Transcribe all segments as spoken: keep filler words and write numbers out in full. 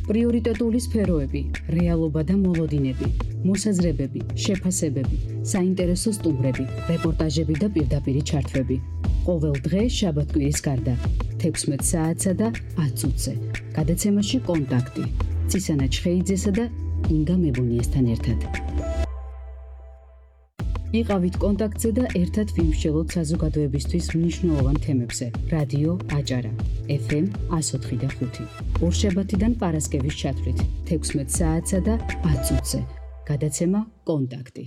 პრიორიტეტული სფეროები, რეალობა და მოლოდინები, მოსაზრებები, შეფასებები, საინტერესო სტუმრები, რეპორტაჟები და პირდაპირი ჩართვები. ყოველ დღე შაბათ-კვირის გარდა, თექვსმეტ საათსა და ათ წუთზე. გადაცემაში კონტაქტი. ცისანა ჩხეიძესა და ინგა მებონიესთან ერთად. იყავით კონტაქტზე და ერთად ვიმსჯელოთ საზოგადოებისთვის მნიშვნელოვან თემებზე. რადიო აჭარა, ეფ ემ εκατო ოთხი და ხუთი. ორშაბათიდან პარასკევის ჩათვლით, თექვსმეტ საათსა და ათ წუთზე. გადაცემა კონტაქტი.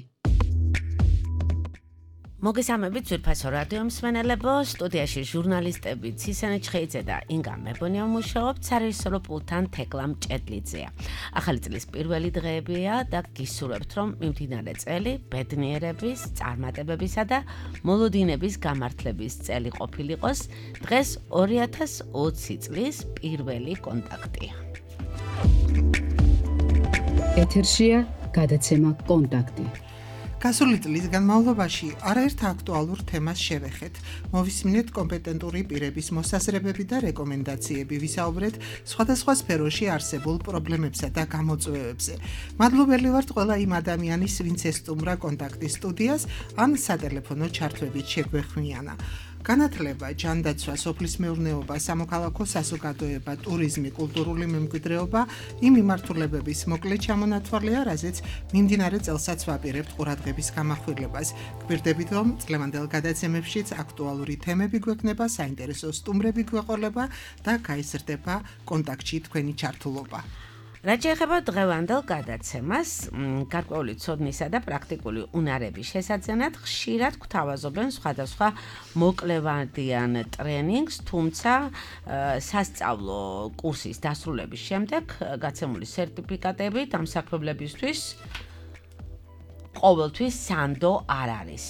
მოგესალმებით ძვირფასო რადიო მსმენელებო, სტუდიაში ჟურნალისტები ცისანა ჩხეიძე და ინგა მებონია მუშაობთ, სარეჟისორო პულტთან თეკლა მჭედლიძეა. ახალი წლის პირველი დღეებია და გისურვებთ, რომ მიმდინარე წელი ბედნიერების, წარმატებებისა და მოლოდინების გამართლების წელი ყოფილიყოს. დღეს ორი ათას ოცი წლის პირველი კონტაქტია. ეთერშია გადაცემა კონტაქტი. გასული წლის განმავლობაში არაერთ აქტუალურ თემას შევეხეთ. მოვისმინეთ კომპეტენტური პირების მოსაზრებები და რეკომენდაციები, ვისაუბრეთ სხვადასხვა სფეროში არსებულ პრობლემებსა და გამოწვევებზე. მადლობელი ვართ ყველა იმ ადამიანის, ვინც ესტუმრა კონტაქტის სტუდიას, ან სატელეფონო ჩართვებით შეგვეხმიანა. განათლება, ჯანდაცვა, სოფლის მეურნეობა, სამოქალაქო საზოგადოება, ტურიზმი, კულტურული მემკვიდრეობა იმ მიმართულებების მოკლე ჩამონათვალია, რაზეც მიმდინარე წელსაც ვაპირებთ ყურადღების გამახვილებას. გვირდებით, რომ წლევანდელ გადაცემებშიც აქტუალური თემები გვექნება, საინტერესო სტუმრები გვეყოლება და გაიზრდება კონტაქტში თქვენი ჩართულობა. რაც შეეხება დღევანდელ გადაცემას, გარკვეული ცოდნისა და პრაქტიკული უნარების შესაძენად ხშირად გვთავაზობენ სხვადასხვა მოკლევადიან ტრენინგს, თუმცა სასწავლო კურსის დასრულების შემდეგ გაცემული სერტიფიკატები დამსაქმებლებისთვის ყოველთვის სანდო არ არის.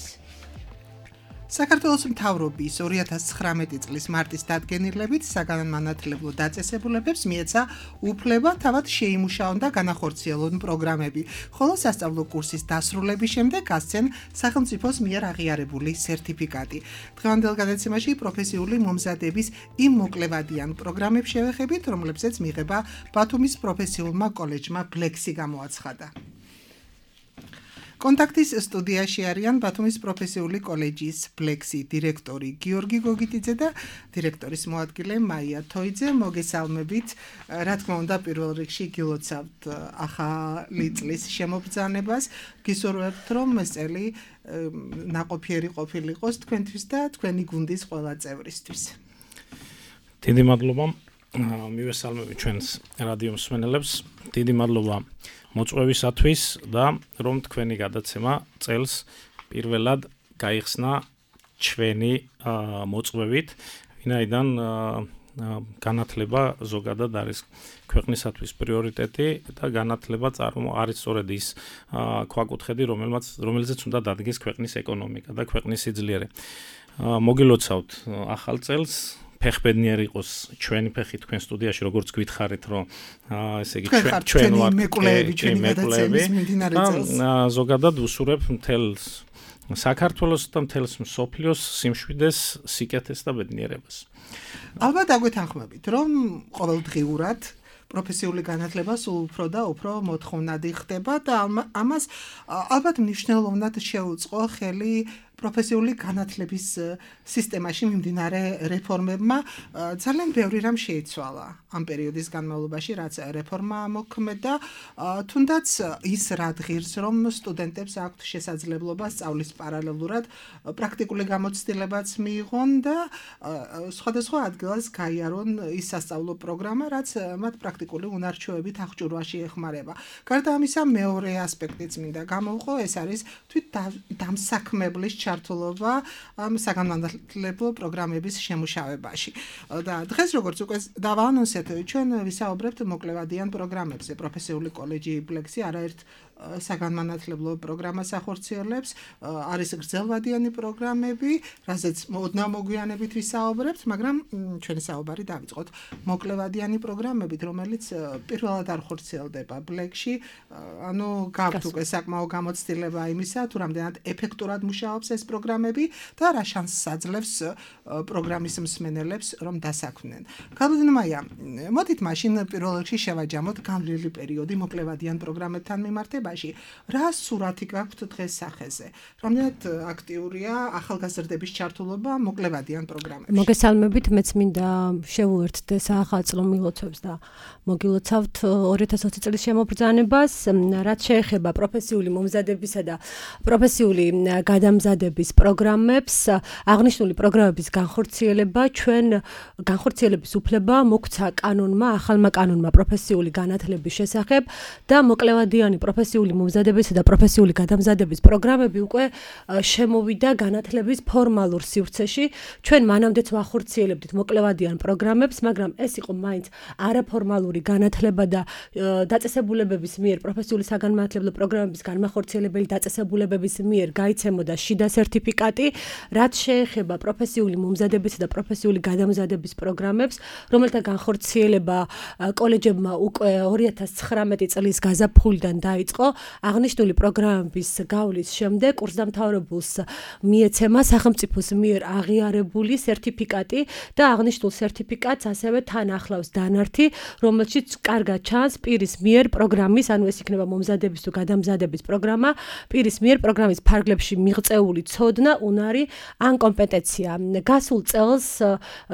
საქართველოს მთავრობის ორი ათას ცხრამეტი წლის მარტის დადგენილებით საგანმანათლებლო დაწესებულებებს მიეცა უფლება თავად შეიმუშაონ და განახორციელონ პროგრამები, ხოლო სასწავლო კურსის დასრულების შემდეგ გასცენ სახელმწიფოს მიერ აღიარებული სერტიფიკატი. დღევანდელ გადაცემაში პროფესიული მომზადების იმ მოკლევადიან პროგრამებს შევეხებით, რომლებზეც მიღება ბათუმის პროფესიულმა კოლეჯმა ბლექსი გამოაცხადა. კონტაქტის სტუდიაში არიან ბათუმის პროფესიული კოლეჯის ბლექსი დირექტორი გიორგი გოგიტიძე და დირექტორის მოადგილე მაია თოიძე. მოგესალმებით. რა თქმა უნდა, პირველ რიგში გილოცავთ ახალი წლის შემობრძანებას. გისურვებთ, რომ ეს წელი ნაყოფიერი ყოფილიყოს თქვენთვის და თქვენი გუნდის ყველა წევრისთვის. დიდი მადლობა. მივესალმები ჩვენს რადიო მსმენელებს. დიდი მადლობა მოწვევისათვის და რომ თქვენი გადაცემა წელს პირველად გაიხსნა ჩვენი მოწვევით, ვინაიდან განათლება ზოგადად არის ქვეყნისათვის პრიორიტეტი და განათლება წარმო არის სწორედ ის ქვაკუთხედი, რომელმაც რომელზეც უნდა დადგეს ქვეყნის ეკონომიკა და ქვეყნის სიძლიერე. მოგილოცავთ ახალ წელს. ფეხბედნიერი იყოს ჩვენი ფეხი თქვენ სტუდიაში, როგორც გითხარით, რომ ესე იგი ჩვენ ვართ მეკვლეები, ჩვენი გადაცემის მიმდინარე წელს. ზოგადად ვუსურებ მთელს საქართველოს და მთელს მსოფლიოს სიმშვიდეს, სიკეთეს და ბედნიერებას. ალბათ აგვეთანხმებით, რომ ყოველდღიურად პროფესიული განათლება სულ უფრო და უფრო მოთხოვნადი ხდება და ამას ალბათ მნიშვნელოვნად შეუწყო ხელი პროფესიული განათლების სისტემაში მიმდინარე რეფორმებმა. ძალიან ბევრი რამ შეიცვალა ამ პერიოდის განმავლობაში, რაც რეფორმა მოქმედა, თუნდაც ის რადგირს, რომ სტუდენტებს აქვთ შესაძლებლობა სწავლის პარალელურად პრაქტიკული გამოცდილებაც მიიღონ და სხვადასხვა ადგილას გაიარონ ის სასწავლო პროგრამა, რაც მათ პრაქტიკული უნარჩვევებით აღჭურვაში ეხმარება. გარდა ამისა, მეორე ასპექტიც მინდა გამოვყო, ეს არის თვით დამსაქმებლის ჩართულობა ამ საგანმანათლებლო პროგრამების შემუშავებაში. და დღეს როგორც უკვე დავაანონსეთ, ჩვენ ვისაუბრებთ მოკლევადიან პროგრამებზე. პროფესიული კოლეჯი ბლექსი არაერთ საგანმანათლებლო პროგრამას ახორციელებს, არის გრძელვადიანი პროგრამები, რაზეც ოდნავ მოგვიანებით ვისაუბრებთ, მაგრამ ჩვენი საუბარი დავიწყოთ მოკლევადიანი პროგრამებით, რომელიც პირველად არ ხორციელდება ბლეკში, ანუ გაქვთ უკვე საკმაო გამოცდილება იმისა, თუ რამდენად ეფექტურად მუშაობს ეს პროგრამები და რა შანსს აძლევს პროგრამის მსმენელებს, რომ დასაქმდნენ. გაბედნ მაია, მოდით მაშინ პირველ რიგში შევაჯამოთ გამვლელი პერიოდი მოკლევადიან პროგრამებთან მიმართებაში. რა სურათი გაქვთ დღეს სახეზე? რამდენად აქტიურია ახალგაზრდების ჩართულობა მოკლევადიან პროგრამებში? მოგესალმებით, მეც მინდა შევუერთდე საახალწლო მილოცვებს და მოგილოცავთ ორი ათას ოცი წლის შემობრძანებას, რაც შეეხება პროფესიული მომზადებისა და პროფესიული გადამზადების პროგრამებს. აღნიშნული პროგრამების განხორციელება ჩვენ განხორციელების უფლება მოგვცა კანონმა, ახალმა კანონმა პროფესიული განათლების შესახებ და მოკლევადიანი პროფესიული მომზადებისა და პროფესიული გადამზადების პროგრამები უკვე შემოვიდა განათლების ფორმალურ სივრცეში. ჩვენ მანამდეც ვახორციელებდით მოკლევადიან პროგრამებს, მაგრამ ეს იყო მაინც არაფორმალური განათლება და დაწესებულებების მიერ პროფესიული საგანმანათლებლო პროგრამების განმახორციელებელი დაწესებულებების მიერ გაიცემოდა შიდა სერტიფიკატი, რაც შეეხება პროფესიული მომზადებისა და პროფესიული გადამზადების პროგრამებს, რომელთა განხორციელება კოლეჯებმა უკვე ორი ათას ცხრამეტი წლის გაზაფხულიდან დაიწყო. აღნიშნული პროგრამების გავლის შემდეგ კურსდამთავრებულს მიეცემა სახელმწიფოს მიერ აღიარებული სერტიფიკატი და აღნიშნულ სერტიფიკატს ასევე თან ახლავს დანართი, რომელშიც კარგად ჩანს პირის მიერ პროგრამის, ანუ ეს იქნება მომზადების თუ გადამზადების პროგრამა, პირის მიერ პროგრამის ფარგლებში მიღწეული ცოდნა, უნარი ან კომპეტენცია. გასულ წელს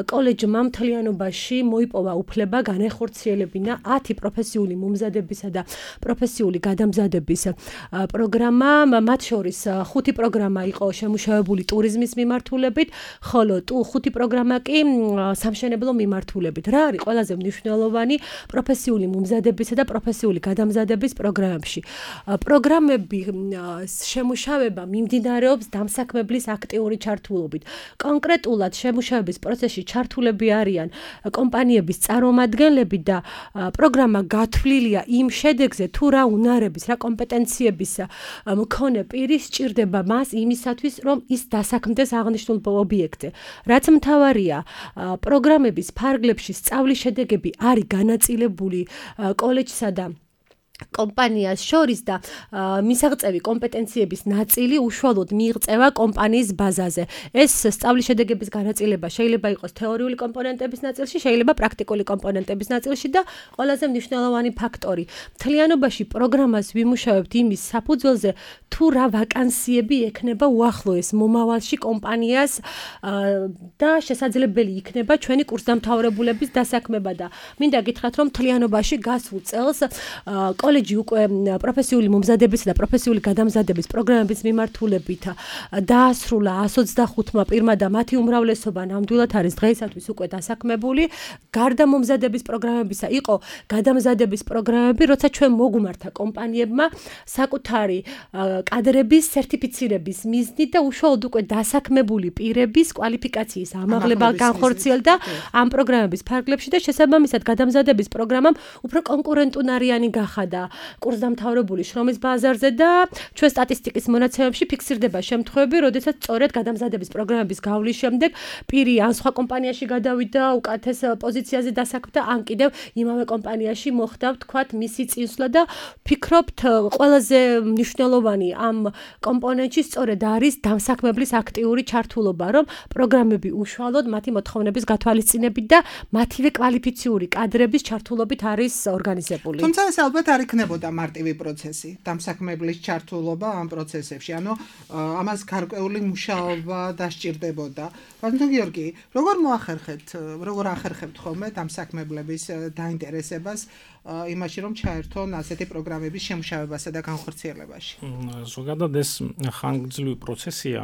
კოლეჯმა მთლიანობაში მოიპოვა უფლება განეხორციელებინა ათი პროფესიული მომზადებისა და პროფესიული გადამზადების პროგრამა, მათ შორის ხუთი პროგრამა იყო შემუშავებული ტურიზმის მიმართულებით, ხოლო ხუთი პროგრამა კი სამშენებლო მიმართულებით. რა არის ყველაზე მნიშვნელოვანი პროფესიული მომზადებისა და პროფესიული გადამზადების პროგრამებში? პროგრამები შემუშავება მიმდინარეობს დამსაქმებლის აქტიური ჩართულობით. კონკრეტულად შემუშავების პროცესში ჩართულები არიან კომპანიების წარმომადგენლები და პროგრამა გათვლილია იმ შედეგზე, თუ რა უნარების, რა კომპეტენციების მქონე პირი სჭირდება მას იმისათვის, რომ ის დასაქმდეს აღნიშნულ ობიექტზე. რაც მთავარია, პროგრამების ფარგლებში სწავლის შედეგები არის განაწილებული კოლეჯსა და კომპანიას შორის და მისაღწევი კომპეტენციების ნაწილი უშუალოდ მიიღწევა კომპანიის ბაზაზე. ეს სწავლის შედეგების განაწილება შეიძლება იყოს თეორიული კომპონენტების ნაწილში, შეიძლება პრაქტიკული კომპონენტების ნაწილში და ყველაზე მნიშვნელოვანი ფაქტორი. მთლიანობაში პროგრამას ვიმუშავებთ იმის საფუძველზე, თუ რა ვაკანსიები ექნება უახლოეს მომავალში კომპანიას და შესაძლებელი იქნება ჩვენი კურსდამთავრებულების დასაქმება და მინდა გითხრათ, რომ მთლიანობაში გასულ წელს კოლეჯი უკვე პროფესიული მომზადებისა და პროფესიული გადამზადების პროგრამების მიმართულებით დაასრულა εκατს ოცდახუთმა პირმა და მათი უმრავლესობა ნამდვილად არის დღეისათვის უკვე დასაქმებული. გარდა მომზადების პროგრამებისა იყო გადამზადების პროგრამები, როცა ჩვენ მოგვმართა კომპანიებმა საკუთარი კადრების სერტიფიცირების მიზნით და უშუალოდ უკვე დასაქმებული პირების კვალიფიკაციის ამაღლება განხორციელდა ამ პროგრამების ფარგლებში და შესაბამისად გადამზადების პროგრამამ უფრო კონკურენტუნარიანი გახადა კურსდამთავრებული შრომის ბაზარზე და ჩვენ სტატისტიკის მონაცემებში ფიქსირდება შემთხვევები, როდესაც სწორედ გადამზადების პროგრამების გავლის შემდეგ პირი ან სხვა კომპანიაში გადავიდა, უკეთეს პოზიციაზე დასაქმდა, ან კიდევ იმავე კომპანიაში მოხდა, ვთქვათ, მისი წინსვლა და ფიქრობთ, ყველაზე მნიშვნელოვანი ამ კომპონენტში სწორედ არის დამსაქმებლის აქტიური ჩართულობა, რომ პროგრამები უშუალოდ მათი მოთხოვნების გათვალისწინებით და მათივე კვალიფიციური კადრების ჩართულობით არის ორგანიზებული. თუმცა ეს ალბათ არ იქნებოდა მარტივი პროცესი, დამსაქმებლის ჩართულობა ამ პროცესებში, ანუ ამას გარკვეული მუშაობა დასჭირდებოდა. ბატონო გიორგი, როგორ მოახერხეთ, როგორ ახერხებთ ხოლმე დამსაქმებლების დაინტერესებას იმაში, რომ ჩაერთონ ასეთი პროგრამების შემუშავებასა და განხორციელებაში? ზოგადად ეს ხანგრძლივი პროცესია.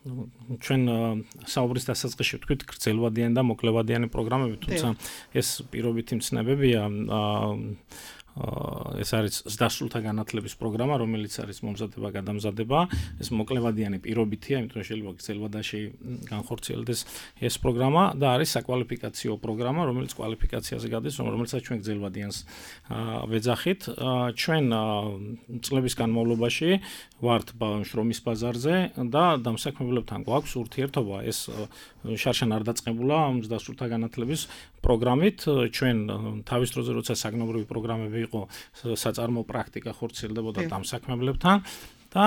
ჩვენ საუბრის დასაწყისში ვთქვით გრძელვადიანი და მოკლევადიანი პროგრამები, თუმცა ეს პირობითი მცნებებია. ეს არის ზრდასრულთა განათლების პროგრამა, რომელიც არის მომზადება, გადამზადება. ეს მოკლევადიანი პირობითია, იმიტომ რომ შეიძლება გრძელვადაში განხორციელდეს ეს პროგრამა და არის საკვალიფიკაციო პროგრამა, რომელიც კვალიფიკაციაზე გადის, რომელსაც ჩვენ გრძელვადიანს ვეძახით. ჩვენ წლების განმავლობაში ვართ შრომის ბაზარზე და დამსაქმებლებთან გვაქვს ურთიერთობა. ეს შარშან არ დაწყებულა ზრდასრულთა განათლების პროგრამით. ჩვენ თავის დროზე როცა საგნობრივი პროგრამები იყო საწარმო პრაქტიკა ხორციელდებოდა დამსაქმებლებთან და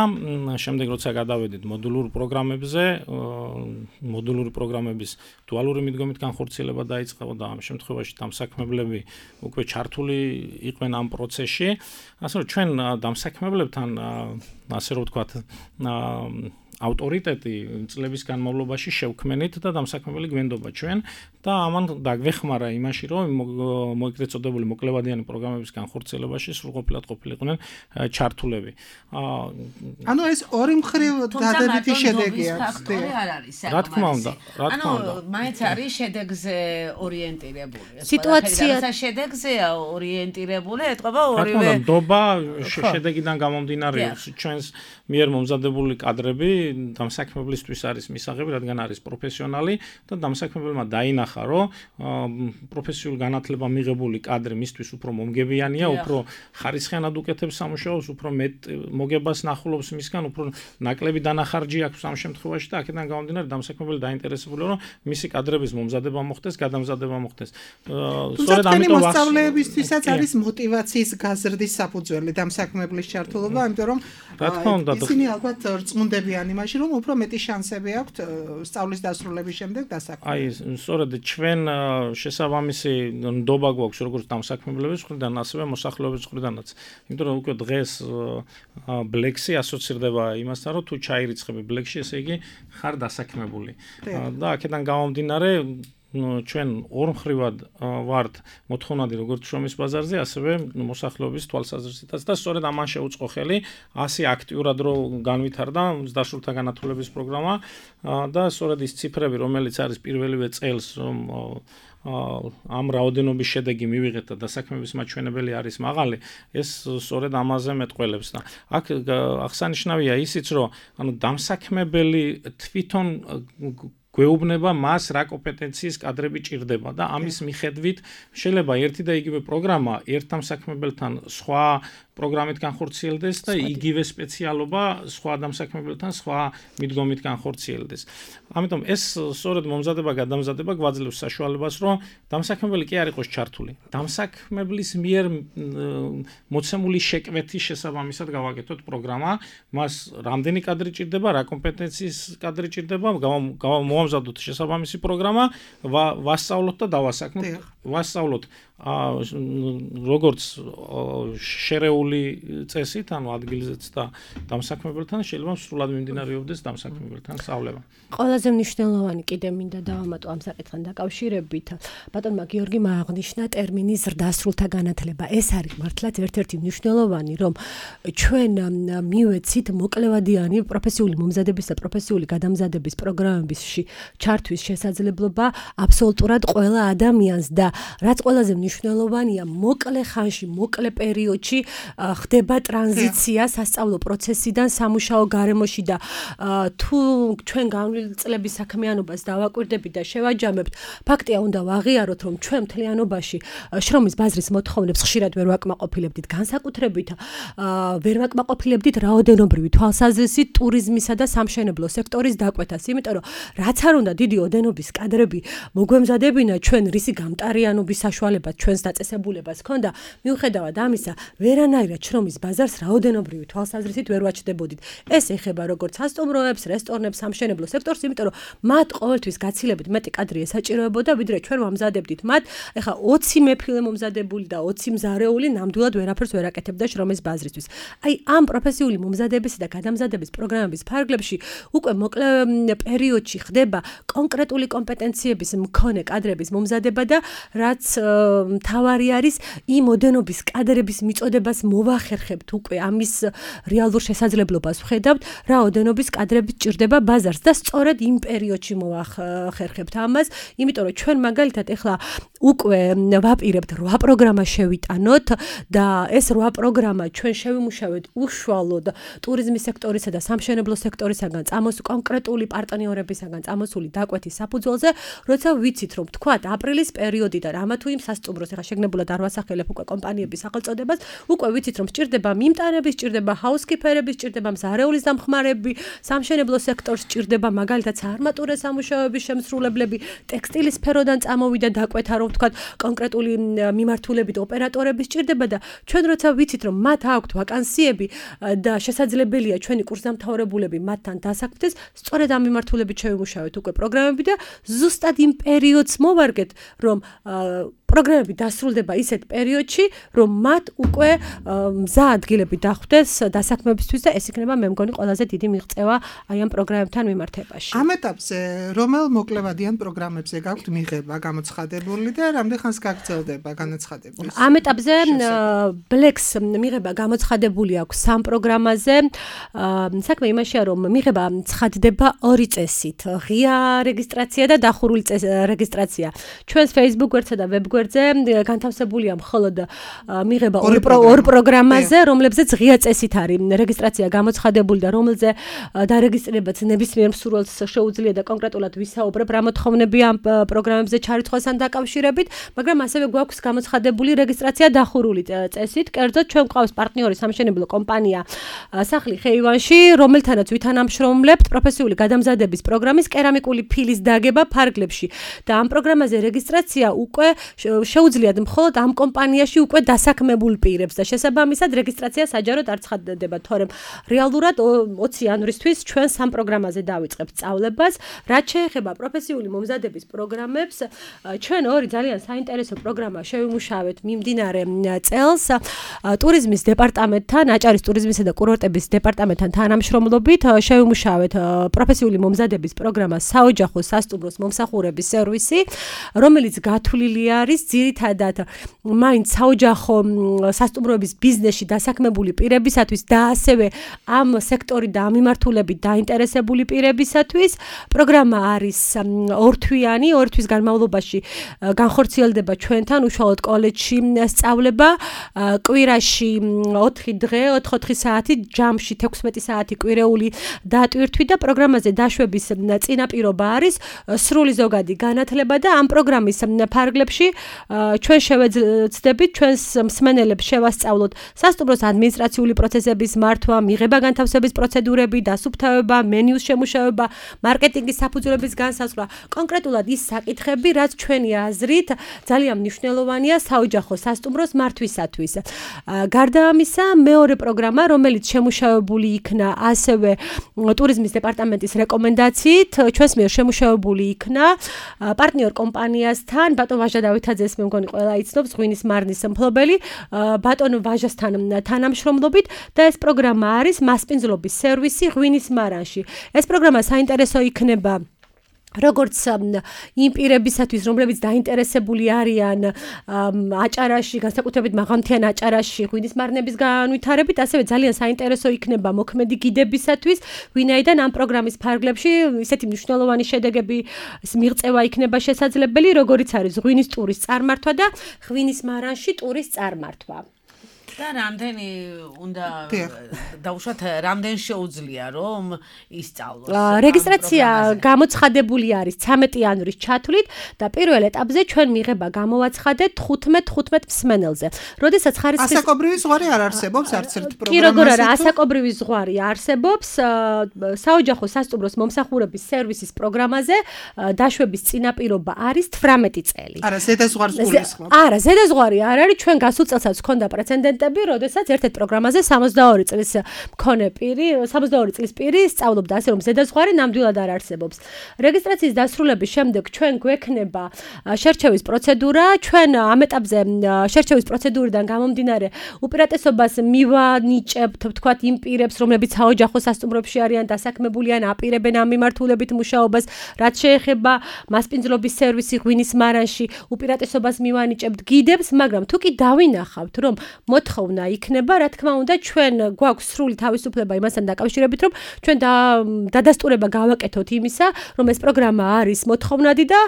შემდეგ როცა გადავედით მოდულურ პროგრამებზე, მოდულური პროგრამების დუალური მიდგომით განხორციელება დაიწყო და ამ შემთხვევაში დამსაქმებლები უკვე ჩართული იყვნენ ამ პროცესში. ასე რომ ჩვენ დამსაქმებლებთან ასე რომ ვთქვათ ავტორიტეტი წლების განმავლობაში შევქმნით და დამსაქმებელი გვენდობა ჩვენ და ამან დაგვეხმარა იმაში, რომ მოიგრეთ წოდებული მოკლევადიანი პროგრამების განხორციელებაში სრულყოფილად ყოფილიყვნენ ჩართულები. ანუ ეს ორი მხრივ დადებითი შედეგი აქვს. რა თქმა უნდა, რა თქმა უნდა. ანუ მაინც არის შედეგზე ორიენტირებული. სიტუაცია შედეგზეა ორიენტირებული, ეთყობა ორივე. რა თქმა უნდა, ნდობა შედეგიდან გამომდინარე ჩვენს მიერ მომზადებული კადრები დამსაქმებლისთვის არის მისაღები, რადგან არის პროფესიონალი და დამსაქმებელმა დაინახა, რომ პროფესიულ განათლება მიღებული კადრი მისთვის უფრო მომგებიანია, უფრო ხარისხიანად უკეთებს სამუშაოს, უფრო მეტ მოგებას ნახულობს მისგან, უფრო ნაკლები დანახარჯი აქვს ამ შემთხვევაში და აქედან გამომდინარე დამსაქმებელი დაინტერესებულია, რომ მისი კადრების მომზადება მოხდეს, გადამზადება მოხდეს. სწორედ ამიტომ მოსწავლეებისთვისაც არის მოტივაციის გაზრდის საფუძველი დამსაქმებლის ჩართულობა, ამიტომ რომ ისინი ალბათ რწმუნდებიან იმაში, რომ უფრო მეტი შანსები აქვთ სწავლის დასრულების შემდეგ დასაქმებად. აი, სწორედ ჩვენ შესაბამისი ნდობა გვაქვს როგორც დამსაქმებლების მხრიდან, ასევე მოსახლეობის მხრიდანაც. იმიტომ რომ უკვე დღეს ბლექსი ასოცირდება იმასთან, რომ თუ ჩაირიცხები ბლექსში, ესე იგი ხარ დასაქმებული. და აქედან გამომდინარე ჩვენ ორმხრივად ვართ მოთხოვნადი როგორც შრომის ბაზარზე, ასევე მოსახლეობის თვალსაზრისითაც და სწორედ ამან შეუწყო ხელი ასი აქტიურად რო განვითარდა ზრდასრულთა განათლების პროგრამა და სწორედ ის ციფრები, რომელიც არის პირველივე წელს, რომ ამ რაოდენობის შედეგი მივიღეთ და დასაქმების მაჩვენებელი არის მაღალი, ეს სწორედ ამაზე მეტყველებს და აქ აღსანიშნავია ისიც, რომ ანუ დამსაქმებელი თვითონ გვეუბნება მას რა კომპეტენციის კადრები ჭირდება და ამის მიხედვით შეიძლება ერთი და იგივე პროგრამა ერთ დამსაქმებელთან სხვა პროგრამით განხორციელდეს და იგივე სპეციალობა სხვა დამსაქმებელთან სხვა მიდგომით განხორციელდეს. ამიტომ ეს სწორედ მომზადება გადამზადება გვაძლევს საშუალებას, რომ დამსაქმებელი კი არ იყოს ჩართული. დამსაქმებლის მიერ მოცემული შეკვეთის შესაბამისად გავაკეთოთ პროგრამა, მას რამდენი კადრი ჭირდება, რა კომპეტენციის კადრი ჭირდება, მოვამზადოთ შესაბამისი პროგრამა, ვასწავლოთ და დავასაქმოთ. ვასწავლოთ როგორც შერეული წესით, ანუ ადგილზეც და დამსაქმებელთან შეიძლება სრულად მიმდინარეობდეს დამსაქმებელთან სწავლება. ყველაზე მნიშვნელოვანი კიდე მინდა დავამატო ამ საკითხთან დაკავშირებით. ბატონმა გიორგიმ აღნიშნა ტერმინი ზრდასრულთა განათლება. ეს არის მართლაც ერთ-ერთი მნიშვნელოვანი, რომ ჩვენ მივეცით მოკლევადიანი პროფესიული მომზადების და პროფესიული გადამზადების პროგრამებში ჩართვის შესაძლებლობა აბსოლუტურად ყველა ადამიანს და რაც ყველაზე მნიშვნელოვანია, მოკლე ხანში, მოკლე პერიოდში ხდება ტრანზიცია სასწავლო პროცესიდან სამუშაო გარემოში და თუ ჩვენ განვლილი წლების საქმიანობას დავაკვირდებით და შევაჯამებთ, ფაქტია უნდა ვაღიაროთ, რომ ჩვენ მთლიანობაში შრომის ბაზრის მოთხოვნებს ხშირად ვერ ვაკმაყოფილებდით, განსაკუთრებით ვერ ვაკმაყოფილებდით რაოდენობრივი თვალსაზრისით ტურიზმისა და სამშენებლო სექტორის დაკვეთას, იმიტომ რომ რაც არ უნდა დიდი ოდენობის კადრები მოგვემზადებინა ჩვენ რისი გამტარიანობის საშუალება ჩვენს დაწესებულებას ქონდა, მიუხედავად ამისა, ვერანაირად შრომის ბაზარს რაოდენობრივი თვალსაზრისით ვერ ვაჩდებოდით. ეს ეხება როგორც სასტუმროებს, რესტორნებს, სამშენებლო სექტორს, იმიტომ რომ მათ ყოველთვის გაცილებით მეტი კადრი ესაჭიროებოდა, ვიდრე ჩვენ ვამზადებდით მათ. ეხლა ოცი მეფილე მომზადებული და ოცი მზარეული ნამდვილად ვერაფერს ვერ აკეთებდა შრომის ბაზრისთვის. აი ამ პროფესიული მომზადებისა და გადამზადების პროგრამების ფარგლებში უკვე მოკლე პერიოდში ხდება ხდება კონკრეტული კომპეტენციების მქონე კადრების მომზადება და რაც მთავარი არის იმ ოდენობის კადრების მიწოდებას მოვახერხებთ უკვე ამის რეალურ შესაძლებლობას ვხედავთ რა ოდენობის კადრები ჭირდება ბაზარს და სწორედ იმ პერიოდში მოვახერხებთ ამას იმიტომ რომ ჩვენ მაგალითად ეხლა უკვე ვაპირებთ რვა პროგრამა შევიტანოთ და ეს რვა პროგრამა ჩვენ შევიმუშავეთ უშუალოდ ტურიზმის სექტორისა და სამშენებლო სექტორისაგან წამოს კონკრეტული პარტნიორებისაგან წამოსული დაკვეთის საფუძველზე, როცა ვიცით რომ თქვათ აპრილის პერიოდიდან ამა თუ იმ სასტუმროს ეხა შეგნებულად არ ვასახელებ უკვე კომპანიების სახელწოდებას, უკვე ვიცით რომ სჭირდება მიმტანები, სჭირდება ჰაუსკიპერები, სჭირდება მზარეულის დამხმარები, სამშენებლო სექტორს სჭირდება მაგალითად საარმატურა სამუშაოების შემსრულებლები, ტექსტილის სფეროდან წამოვიდა დაკვეთა რომ თქვათ კონკრეტული მიმართულებით ოპერატორები სჭირდება და ჩვენ როცა ვიცით რომ მათ აქვთ ვაკანსიები და შესაძლებელია ჩვენი კურსდამთავრებულები მათთან დასაქმდეს, სწორედ ამ მიმართულებით შევიმუშავეთ უკვე პროგრამები და ზუსტად იმ პერიოდს მოვარგეთ, რომ პროგრამები დასრულდება ისეთ პერიოდში, რომ მათ უკვე მზა ადგილები დახვდეს დასაქმებისთვის და ეს იქნება მე მგონი ყველაზე დიდი მიღწევა აი ამ პროგრამებთან მიმართებაში. ამ ეტაპზე რომელ მოკლევადიან პროგრამებზე გაქვთ მიღება გამოცხადებული და რამდენ ხანს გაგრძელდება განაცხადების? ამ ეტაპზე ბლექს მიღება გამოცხადებული აქვს სამ პროგრამაზე. საქმე იმაშია, რომ მიღება ცხადდება ორი წესით: ღია რეგისტრაცია და დახურული რეგისტრაცია. ჩვენს Facebook გვერდსა და web გვერდზე განთავსებულია მხოლოდ მიღება ორ პროგრამაზე, რომლებზეც ღია წესით არის რეგისტრაცია გამოცხადებული და რომელზე დარეგისტრირებაც ნებისმიერ მსურველს შეუძლია და კონკრეტულად ვისაუბრებ რა მოთხოვნები ამ პროგრამებზე ჩარიცხვასთან დაკავშირებით, მაგრამ ასევე გვაქვს გამოცხადებული რეგისტრაცია დახურული წესით. კერძოდ ჩვენ გვყავს პარტნიორი სამშენებლო კომპანია სახლი ხეივანში, რომელთანაც ვითანამშრომლებთ პროფესიული გადამზადების პროგრამის კერამიკული ფილის დაგება ფარგლებში და ამ პროგრამაზე რეგისტრაცია უკვე შეუძლიათ მხოლოდ ამ კომპანიაში უკვე დასაქმებულ პირებს და შესაბამისად რეგისტრაცია საჯაროდ არ ცხადდება, თორემ რეალურად ოცი იანვრისთვის ჩვენ სამ პროგრამაზე დავიწყებთ სწავლებას. რაც შეეხება პროფესიული მომზადების პროგრამებს, ჩვენ ორი ძალიან საინტერესო პროგრამა შევიმუშავეთ მიმდინარე წელს ტურიზმის დეპარტამენტთან, აჭარის ტურიზმისა და კურორტების დეპარტამენტთან თანამშრომლობით შევიმუშავეთ პროფესიული მომზადების პროგრამა საოჯახო სასტუმროს მომსახურების სერვისი, რომელიც გათვლილი არის ძირითადად მაინც საოჯახო სასტუმროების ბიზნესში დასაქმებული პირებისათვის და ასევე ამ სექტორი და ამ მიმართულებით დაინტერესებული პირებისათვის. პროგრამა არის ორთვიანი, ორი თვის განმავლობაში განხორციელდება ჩვენთან უშუალოდ კოლეჯში სწავლება, კვირაში ოთხი დღე, ოთხ-ოთხი საათი, ჯამში თექვსმეტი საათი კვირეული დატვირთვით და პროგრამაზე დაშვების წინაპირობა არის სრული ზოგადი განათლება და ამ პროგრამის ფარგლებში ჩვენ შევეცდებით ჩვენს მსმენელებს შევასწავლოთ სასტუმროს ადმინისტრაციული პროცესების მართვა, მიღება განთავსების პროცედურები, დასუფთავება, მენიუს შემუშავება, მარკეტინგის საფუძვლების განსაზღვრა, კონკრეტულად ის საკითხები, რაც ჩვენი აზრით ძალიან მნიშვნელოვანია საოჯახო სასტუმროს მართვისათვის. გარდა ამისა, მეორე პროგრამა, რომელიც შემუშავებული იქნა ასევე ტურიზმის დეპარტამენტის რეკომენდაციით, ჩვენს მიერ შემუშავებული იქნა პარტნიორ კომპანიასთან, ბატონ ვაჟა დავითაძეს მე მგონი ყველა იცნობს, ღვინის მარნის მფლობელი, ბატონ ვაჟასთან თანამშრომლობით და ეს პროგრამა არის მასპინძლობის სერვისი ღვინის მარანში. ეს პროგრამა საინტერესო იქნება როგორც იმ პირებისათვის, რომლებიც დაინტერესებული არიან აჭარაში, განსაკუთრებით მაღალმთიან აჭარაში ღვინის მარნების განვითარებით, ასევე ძალიან საინტერესო იქნება მოქმედი გიდებისათვის, ვინაიდან ამ პროგრამის ფარგლებში ისეთი მნიშვნელოვანი შედეგები მიღწევა იქნება შესაძლებელი, როგორიც არის ღვინის ტურის წარმართვა და ღვინის მარანში ტურის წარმართვა. და რამდენი უნდა დაუშვათ, რამდენ შეუძლია რომ ისწავლოს? რეგისტრაცია გამოცხადებული არის ცამეტი იანვრის ჩათვლით და პირველ ეტაპზე ჩვენ მიღება გამოვაცხადეთ თხუთმეტ თხუთმეტ მსმენელზე. როდესაც ხარისხის ასაკობრივი ზღვარი არ არსებობს არც ერთ პროგრამაზე. კი, როგორ არა, ასაკობრივი ზღვარი არსებობს საოჯახო სასტუმროს მომსახურების სერვისის პროგრამაზე დაშვების წინაპირობა არის თვრამეტი წელი. არა, ზედაზღვარს გულისხმობ. არა, ზედაზღვარი არ არის, ჩვენ გასულ წელსაც ჰქონდა პრეცედენტი მომენტები, როდესაც ერთ-ერთ პროგრამაზე სამოცდაორი წლის მქონე პირი, სამოცდაორი წლის პირი სწავლობდა, ასე რომ ზედაზღვარი ნამდვილად არ არსებობს. რეგისტრაციის დასრულების შემდეგ ჩვენ გვექნება შერჩევის პროცედურა, ჩვენ ამ ეტაპზე შერჩევის პროცედურიდან გამომდინარე უპირატესობას მივანიჭებთ, ვთქვათ, იმ პირებს, რომლებიც საოჯახო სასტუმროებში არიან დასაქმებული ან აპირებენ ამ მიმართულებით მუშაობას, რაც შეეხება მასპინძლობის სერვისი ღვინის მარანში, უპირატესობას მივანიჭებთ გიდებს, მაგრამ თუ კი დავინახავთ, რომ მოთხოვნა იქნება, რა თქმა უნდა, ჩვენ გვაქვს სრული თავისუფლება იმასთან დაკავშირებით, რომ ჩვენ დადასტურება გავაკეთოთ იმისა, რომ ეს პროგრამა არის მოთხოვნადი და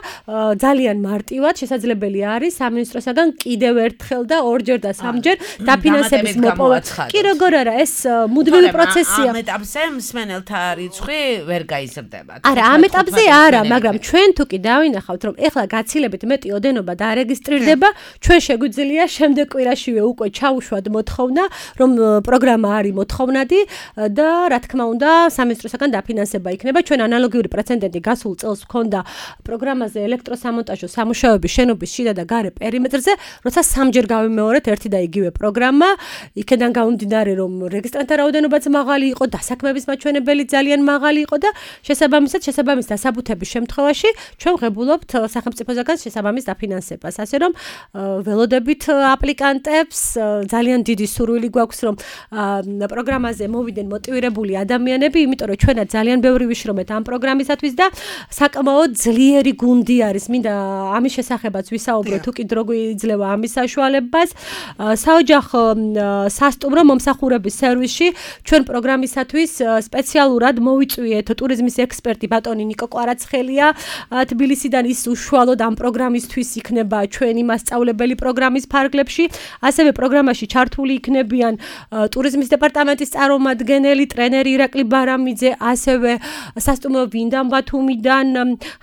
ძალიან მარტივად შესაძლებელი არის სამინისტროსაგან კიდევ ერთხელ და ორჯერ და სამჯერ დაფინანსების მოპოვა. კი როგორ არა, ეს მუდმივი პროცესია. ამ ეტაპზე მსმენელთა რიცხვი ვერ გაიზრდება. არა, ამ ეტაპზე არა, მაგრამ ჩვენ თუ კი დავინახავთ, რომ ეხლა გაცილებით მეტი ოდენობა დაარეგისტრირდება, ჩვენ შეგვიძლია შემდეგ კვირაშივე უკვე ჩაუშვათ მოთხოვნა, რომ პროგრამა არის მოთხოვნადი და რა თქმა უნდა, სამინისტროსაგან დაფინანსება იქნება. ჩვენ ანალოგიური პრეცედენტი გასულ წელს ჰქონდა პროგრამაზე ელექტროსამონტაჟო სამუშაოების შენობის შიდა და გარე პერიმეტრზე, როცა სამჯერ გავიმეორეთ ერთი და იგივე პროგრამა, იქედან გამომდინარე, რომ რეგისტრანტთა რაოდენობაც მაღალი იყო, დასაქმების მაჩვენებელი ძალიან მაღალი იყო და შესაბამისად, შესაბამის დასაბუთების შემთხვევაში ჩვენ ვღებულობთ სახელმწიფოსაგან შესაბამის დაფინანსებას. ასე რომ ველოდებით აპლიკანტებს ძალიან დიდი სურვილი გვაქვს, რომ პროგრამაზე მოვიდნენ მოტივირებული ადამიანები, იმიტომ რომ ჩვენაც ძალიან ბევრი ვიშრობთ ამ პროგრამისათვის და საკმაოდ ძლიერი გუნდი არის. მინდა ამის შესახებაც ვისაუბრო, თუ კი დრო გვიძლევა ამის საშუალებას. საოჯახო სასტუმრო მომსახურების სერვისში ჩვენ პროგრამისათვის სპეციალურად მოვიწვიეთ ტურიზმის ექსპერტი ბატონი ნიკო კვარაცხელია თბილისიდან. ის უშუალოდ ამ პროგრამისთვის იქნება ჩვენი მასწავლებელი პროგრამის ფარგლებში. ასევე პროგრამაში ჩართული იქნებიან ტურიზმის დეპარტამენტის წარმომადგენელი, ტრენერი ირაკლი ბარამიძე, ასევე სასტუმრო ვინდამ ბათუმიდან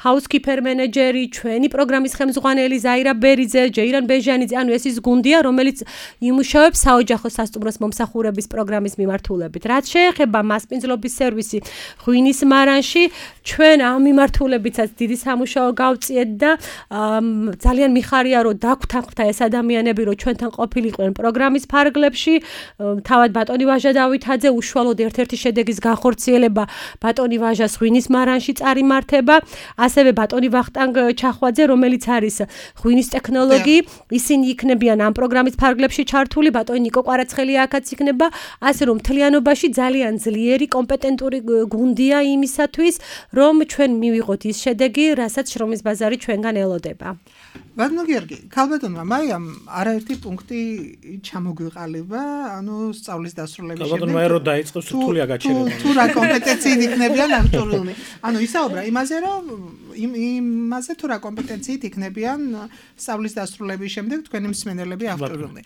ჰაუსკიპერ მენეჯერი, ჩვენი პროგრამის ხელმძღვანელი ზაირა ბერიძე, ჯეირან ბეჟანიძე. ანუ ეს ის გუნდია, რომელიც იმუშავებს საოჯახო სასტუმროს მომსახურების პროგრამის მიმართულებით. რაც შეეხება მასპინძლობის სერვისი ღვინის მარანში, ჩვენ ამ მიმართულებითაც დიდი სამუშაო გავწიეთ და ძალიან მიხარია, რომ დაგვთანხმდა ეს ადამიანები, რომ ჩვენთან ყოფილიყვნენ პროგრამის ფარგლებში. თავად ბატონი ვაჟა დავითაძე უშუალოდ ერთ-ერთი შედეგის განხორციელება ბატონი ვაჟას ღვინის მარანში წარიმართება, ასევე ბატონი ვახტანგ ჩახვაძე, რომელიც არის ღვინის ტექნოლოგი, ისინი იქნებიან ამ პროგრამის ფარგლებში ჩართული, ბატონი ნიკო კვარაცხელი აქაც იქნება, ასე რომ მთლიანობაში ძალიან ძლიერი კომპეტენტური გუნდია იმისათვის, რომ ჩვენ მივიღოთ ის შედეგი, რასაც შრომის ბაზარი ჩვენგან ელოდება. ბატონო გიორგი, ქალბატონმა მაიამ არაერთი პუნქტი ჩამოგვიყალიბა, ანუ სწავლის დასრულების შემდეგ. ბატონო მაირო დაიწყოს რთულია გაჩერება. თუ რა კომპეტენციით იქნებიან აღჭურვილნი. ანუ ისაუბრა იმაზე, რომ იმაზე თუ რა კომპეტენციით იქნებიან სწავლის დასრულების შემდეგ თქვენი მსმენელები აღჭურვილნი.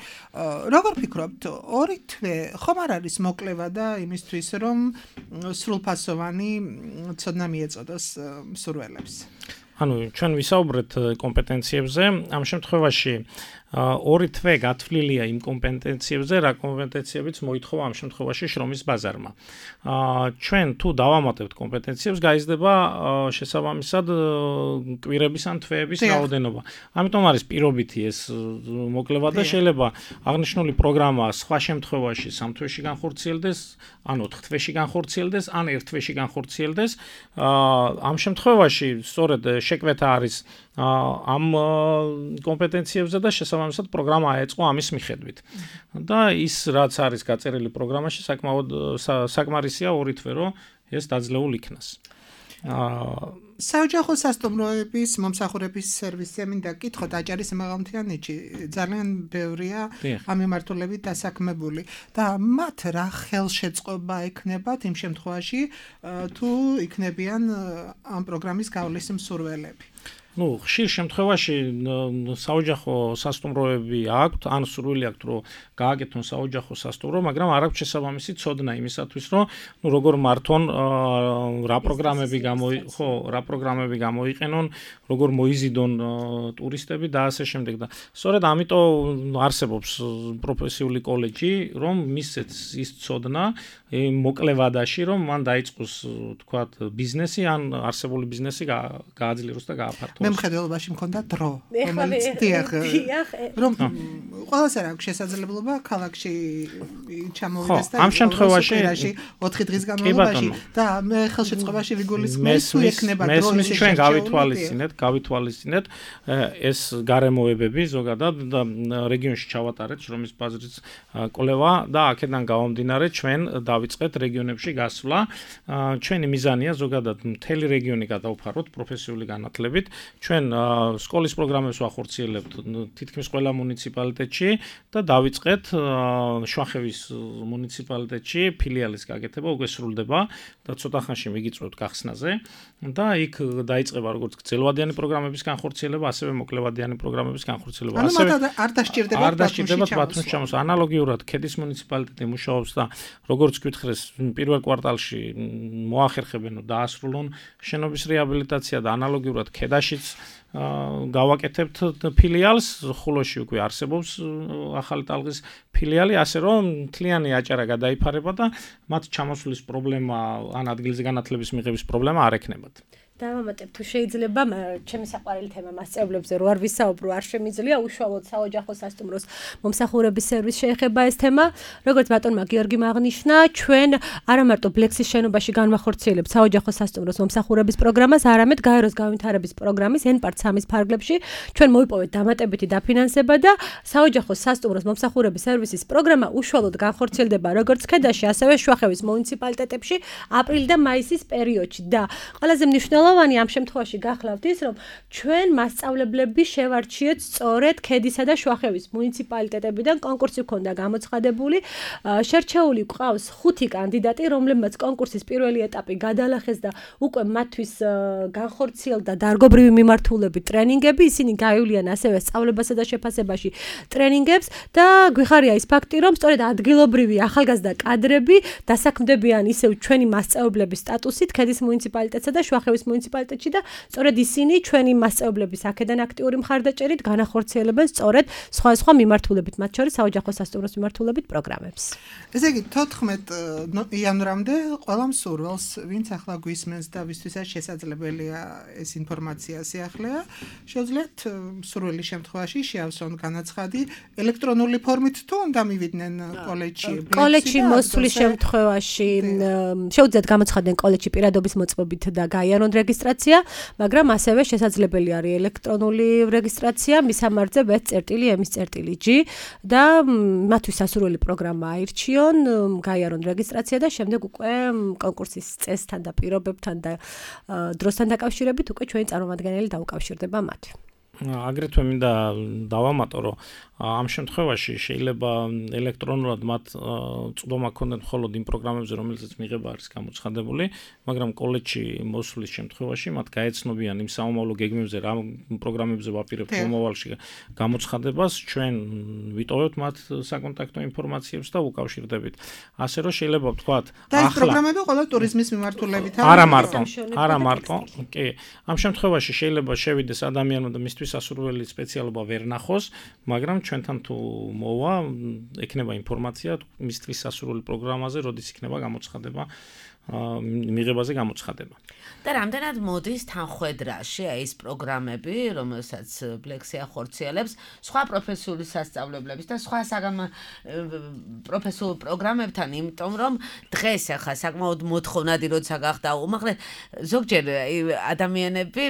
როგორ ფიქრობთ, ორი თვე ხომ არ არის მოკლევა და იმისთვის, რომ სრულფასოვანი ცოდნა მიეწოდოს მსურველებს? ანუ ჩვენ ვისაუბრეთ კომპეტენციებზე, ამ შემთხვევაში ორი თვე გათვლილია იმ კომპეტენციებზე, რა კომპეტენციებიც მოითხოვა ამ შემთხვევაში შრომის ბაზარმა. ჩვენ თუ დავამატებთ კომპეტენციებს, გაიზრდება შესაბამისად კვირების ან თვეების რაოდენობა. ამიტომ არის პირობითი ეს მოკლევა და შეიძლება აღნიშნული პროგრამა სხვა შემთხვევაში სამ თვეში განხორციელდეს, ან ოთხ თვეში განხორციელდეს, ან ერთ თვეში განხორციელდეს. ამ შემთხვევაში სწორედ შეკვეთა არის ამ კომპეტენციებზე და შესაბამისად პროგრამა აეწყო ამის მიხედვით. და ის რაც არის გაწერილი პროგრამაში, საკმაოდ საკმარისია ორი თვე, რომ ეს დაძლეულ იქნას. საოჯახო სასტუმროების მომსახურების სერვისი მინდა გკითხოთ აჭარის მაღალმთიანეთში ძალიან ბევრია ამ მიმართულებით დასაქმებული და მათ რა ხელშეწყობა ექნებათ იმ შემთხვევაში თუ იქნებიან ამ პროგრამის გავლის მსურველები. ну, ხშირ შემთხვევაში საოჯახო სასტუმროები აქვთ, ან სურვილი აქვთ, რომ გააკეთონ საოჯახო სასტუმრო, მაგრამ არ აქვს შესაბამისი ცოდნა იმისათვის, რომ ну, როგორ მართონ რა პროგრამები გამოი, ხო, რა პროგრამები გამოიყენონ, როგორ მოიზიდონ ტურისტები და ასე შემდეგ და სწორედ ამიტომ არსებობს პროფესიული კოლეჯი, რომ მისცეთ ის ცოდნა მოკლევადაში, რომ მან დაიწყოს, თქვათ, ბიზნესი, ან არსებული ბიზნესი გააძლიეროს და გააფართოვოს. მე მხედველობაში მქონდა დრო, რომელიც დიახ, რომ ყველას არ აქვს შესაძლებლობა ქალაქში ჩამოვიდეს და ამ შემთხვევაში ოთხი დღის განმავლობაში და მე ხელშეწყობაში ვიგულისხმევ თუ ექნება დრო მესმის ჩვენ გავითვალისწინეთ, გავითვალისწინეთ ეს გარემოებები ზოგადად და რეგიონში ჩავატარეთ შრომის ბაზრის კვლევა და აქედან გამომდინარე ჩვენ დავიწყეთ რეგიონებში გასვლა. ჩვენი მიზანია ზოგადად მთელი რეგიონი გადავფაროთ პროფესიული განათლებით. ჩვენ სკოლის პროგრამებს ვახორციელებთ თითქმის ყველა მუნიციპალიტეტში და დავიწყეთ შვახევის მუნიციპალიტეტში ფილიალის გაკეთება უკვე სრულდება და ცოტა ხანში მიგიწვევთ გახსნაზე და იქ დაიწყება როგორც გრძელვადიანი პროგრამების განხორციელება, ასევე მოკლევადიანი პროგრამების განხორციელება. ასევე არ დაჭირდება არ დაჭირდებათ ბათუმში ჩამოსვლა. ანალოგიურად ქედის მუნიციპალიტეტი მუშაობს და როგორც გითხრეს პირველ კვარტალში მოახერხებენ დაასრულონ შენობის რეაბილიტაცია და ანალოგიურად ქედაშიც გავაკეთებთ ფილიალს, ხულოში უკვე არსებობს ახალი ტალღის ფილიალი, ასე რომ მთლიანი აჭარა გადაიფარება და მათ ჩამოსვლის პრობლემა ან ადგილზე განათლების მიღების პრობლემა არ ექნებათ. დავამატებ თუ შეიძლება ჩემი საყვარელი თემა მასწავლებლებზე რო არ ვისაუბრო არ შემიძლია უშუალოდ საოჯახო სასტუმროს მომსახურების სერვისს შეეხება ეს თემა როგორც ბატონმა გიორგიმ აღნიშნა ჩვენ არა მარტო ბლექსის შენობაში განვახორციელებთ საოჯახო სასტუმროს მომსახურების პროგრამას არამედ გაეროს განვითარების პროგრამის ენ-პარტ სამის ფარგლებში ჩვენ მოვიპოვეთ დამატებითი დაფინანსება და საოჯახო სასტუმროს მომსახურების სერვისის პროგრამა უშუალოდ განხორციელდება როგორც ქედაში ასევე შვახევის მუნიციპალიტეტებში აპრილი და მაისის პერიოდში და ყველაზე მნიშვნელოვანი ამ შემთხვევაში გახლავთ ის, რომ ჩვენ მასწავლებლები შევარჩიეთ სწორედ ქედისა და შვახევის მუნიციპალიტეტებიდან კონკურსი ჰქონდა გამოცხადებული. შერჩეული გვყავს ხუთი კანდიდატი, რომლებმაც კონკურსის პირველი ეტაპი გადალახეს და უკვე მათთვის განხორციელდა დარგობრივი მიმართულებით ტრენინგები, ისინი გაივლიან ასევე სწავლებასა და შეფასებაში ტრენინგებს და გვიხარია ის ფაქტი, რომ სწორედ ადგილობრივი ახალგაზრდა კადრები დასაქმდებიან ისევ ჩვენი მასწავლებლების სტატუსით ქედის მუნიციპალიტეტსა და შვახევის მუნიციპალიტეტში და სწორედ ისინი ჩვენი მასწავლებლების აქედან აქტიური მხარდაჭერით განახორციელებენ სწორედ სხვა სხვა მიმართულებით, მათ შორის საოჯახო სასტუმროს მიმართულებით პროგრამებს. ესე იგი თოთხმეტ იანვრამდე ყველა მსურველს, ვინც ახლა გვისმენს და ვისთვისაც შესაძლებელია ეს ინფორმაცია სიახლეა, შეუძლიათ მსურველი შემთხვევაში შეავსონ განაცხადი ელექტრონული ფორმით თუ უნდა მივიდნენ კოლეჯში. კოლეჯში მოსვლის შემთხვევაში შეუძლიათ გამოცხადდნენ კოლეჯში პირადობის მოწმობით და გაიარონ რეგისტრაცია, მაგრამ ასევე შესაძლებელი არის ელექტრონული რეგისტრაცია მისამართზე ვე წერტილი ემის წერტილი ჯი და მათთვის სასურველი პროგრამა აირჩიონ, გაიარონ რეგისტრაცია და შემდეგ უკვე კონკურსის წესთან და პირობებთან და დროსთან დაკავშირებით უკვე ჩვენი წარმომადგენელი დაუკავშირდება მათ. აგრეთვე მინდა დავამატო, რომ ამ შემთხვევაში შეიძლება ელექტრონულად მათ წვდომა ქონდეთ მხოლოდ იმ პროგრამებზე, რომელზეც მიღება არის გამოცხადებული, მაგრამ კოლეჯში მოსვლის შემთხვევაში მათ გაეცნობიან იმ საომავლო გეგმებზე, რა პროგრამებზე ვაპირებთ მომავალში გამოცხადებას, ჩვენ ვიტოვებთ მათ საკონტაქტო ინფორმაციებს და უკავშირდებით. ასე რომ შეიძლება ვთქვათ, ახლა და ეს პროგრამები ყველა ტურიზმის მიმართულებით არის. არა მარტო, არა მარტო, კი. ამ შემთხვევაში შეიძლება შევიდეს ადამიანი და მისთვის სასურველი სპეციალობა ვერ ნახოს, მაგრამ ჩვენთან თუ მოვა, ექნება ინფორმაცია მისთვის სასურველი პროგრამაზე, როდის იქნება გამოცხადება, მიღებაზე გამოცხადება. და რამდენად მოდის თანხვედრაში ეს პროგრამები, რომელსაც ბლექსი ახორციელებს, სხვა პროფესიული სასწავლებლების და სხვა საგანმანათლებლო პროფესიულ პროგრამებთან, იმიტომ რომ დღეს ახლა საკმაოდ მოთხოვნადი როცა გახდა უმაღლეს, ზოგჯერ ადამიანები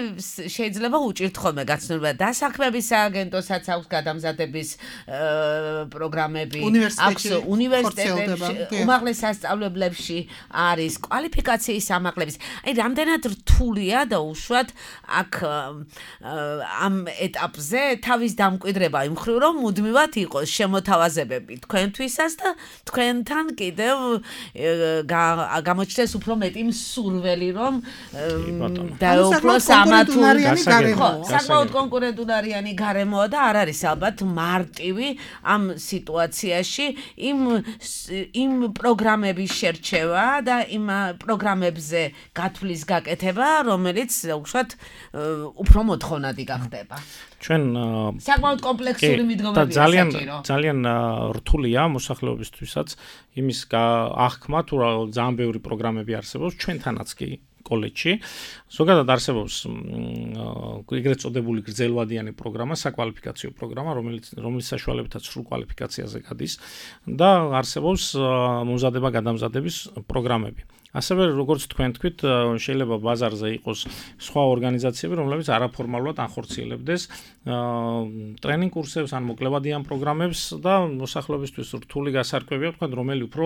შეიძლება უჭირთ ხოლმე გაცნობა დასაქმების სააგენტოსაც აქვს გადამზადების პროგრამები, აქვს უნივერსიტეტებში, უმაღლეს სასწავლებლებში არის კვალიფიკაციის ამაღლების. აი რამდენად რთულია და უშუალოდ აქ ამ ეტაპზე თავის დამკვიდრება იმ მხრივ რომ მუდმივად იყოს შემოთავაზებები თქვენთვისაც და თქვენთან კიდევ გამოჩნდეს უფრო მეტი მსურველი რომ დაეუფლოს ამა თუ საკმაოდ კონკურენტუნარიანი გარემოა და არ არის ალბათ მარტივი ამ სიტუაციაში იმ იმ პროგრამების შერჩევა და იმ პროგრამებზე გათვლის გაკეთება, რომელიც უშუალოდ უფრო მოთხოვნადი გახდება. ჩვენ საკმაოდ კომპლექსური მიდგომებია ძალიან ძალიან რთულია მოსახლეობისთვისაც იმის აღქმა თუ რა ძალიან ბევრი პროგრამები არსებობს ჩვენთანაც კი კოლეჯში. ზოგადად არსებობს ეგრეთ წოდებული გრძელვადიანი პროგრამა, საკვალიფიკაციო პროგრამა, რომელიც რომლის საშუალებითაც სრულ კვალიფიკაციაზე გადის და არსებობს მომზადება გადამზადების პროგრამები. ასევე როგორც თქვენ თქვით, შეიძლება ბაზარზე იყოს სხვა ორგანიზაციები, რომლებიც არაფორმალურად ანხორციელებდეს ტრენინგ კურსებს ან მოკლევადიან პროგრამებს და მოსახლეობისთვის რთული გასარკვევია, თქვენ რომელი უფრო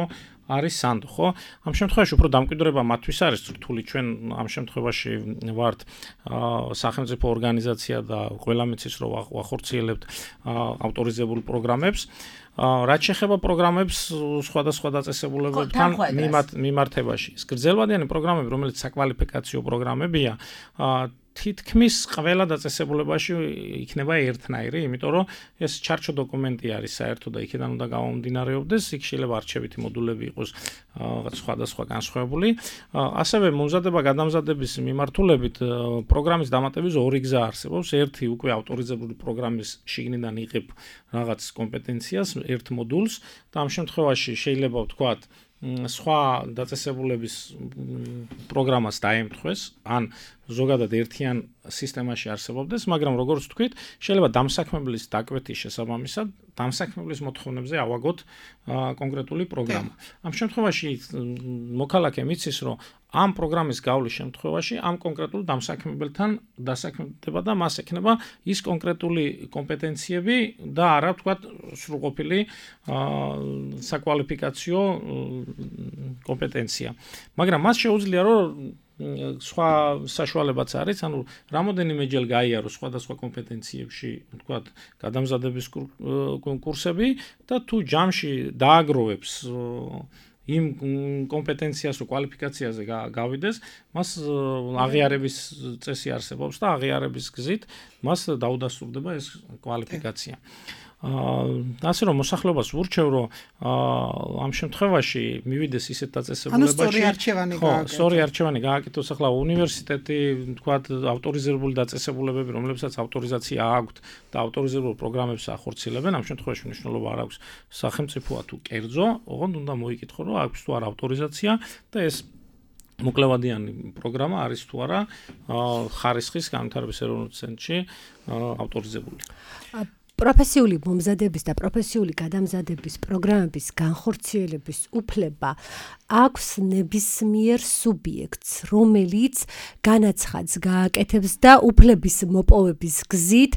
არის სანდო, ხო? ამ შემთხვევაში უფრო დამკვიდრება მათთვის არის რთული, ჩვენ ამ შემთხვევაში ვართ სახელმწიფო ორგანიზაცია და ყველა მიცის რომ ვახორციელებთ ავტორიზებულ პროგრამებს. რაც შეეხება პროგრამებს სხვადასხვა დაწესებულებებთან მიმართებაში. გრძელვადიანი პროგრამები, რომელიც საკვალიფიკაციო პროგრამებია, თითქმის ყველა დაწესებულებაში იქნება ერთნაირი, იმიტომ რომ ეს ჩარჩო დოკუმენტი არის საერთო და იქიდან უნდა გამომდინარეობდეს, იქ შეიძლება არჩევითი მოდულები იყოს სხვადასხვა განსხვავებული. ასევე მომზადება გადამზადების მიმართულებით პროგრამის დამატების ორი გზა არსებობს. ერთი უკვე ავტორიზებული პროგრამის შიგნიდან იღებ რაღაც კომპეტენციას, ერთ მოდულს და ამ შემთხვევაში შეიძლება ვთქვათ სხვა დაწესებულების პროგრამას დაემთხვეს, ან ზოგადად ერთიან სისტემაში არსებობდეს, მაგრამ როგორც ვთქვით, შეიძლება დამსაქმებლის დაკვეთის შესაბამისად დამსაქმებლის მოთხოვნებზე ავაგოთ კონკრეტული პროგრამა. ამ შემთხვევაში მოქალაქე მიცის, რომ ამ პროგრამის გავლის შემთხვევაში ამ კონკრეტულ დამსაქმებელთან დასაქმდება და მას ექნება ის კონკრეტული კომპეტენციები და არა ვთქვათ სრულყოფილი საკვალიფიკაციო კომპეტენცია. მაგრამ მას შეუძლია რომ სხვა საშუალებაც არის, ანუ რამოდენიმეჯერ გაიარო სხვადასხვა კომპეტენციებში, ვთქვათ, გადამზადების კურსები და თუ ჯამში დააგროვებს იმ კომპეტენციას თუ კვალიფიკაციაზე გავიდეს, მას აღიარების წესი არსებობს და აღიარების გზით მას დაუდასტურდება ეს კვალიფიკაცია. ასე რომ მოსახლეობას ვურჩევ, რომ ამ შემთხვევაში მივიდეს ისეთ დაწესებულებაში, ანუ სწორი არჩევანი გააკეთოს. სწორი არჩევანი გააკეთოს. ახლა უნივერსიტეტი, თქვათ, ავტორიზებული დაწესებულებები, რომლებსაც ავტორიზაცია აქვთ და ავტორიზებულ პროგრამებს ახორციელებენ, ამ შემთხვევაში მნიშვნელობა არ აქვს სახელმწიფოა თუ კერძო, ოღონდ უნდა მოიკითხო, რომ აქვს თუ არა ავტორიზაცია და ეს მოკლევადიანი პროგრამა არის თუ არა ხარისხის განვითარების ეროვნულ ცენტრში ავტორიზებული. პროფესიული მომზადების და პროფესიული გადამზადების პროგრამების განხორციელების უფლება აქვს ნებისმიერ სუბიექტს, რომელიც განაცხადს გააკეთებს და უფლების მოპოვების გზით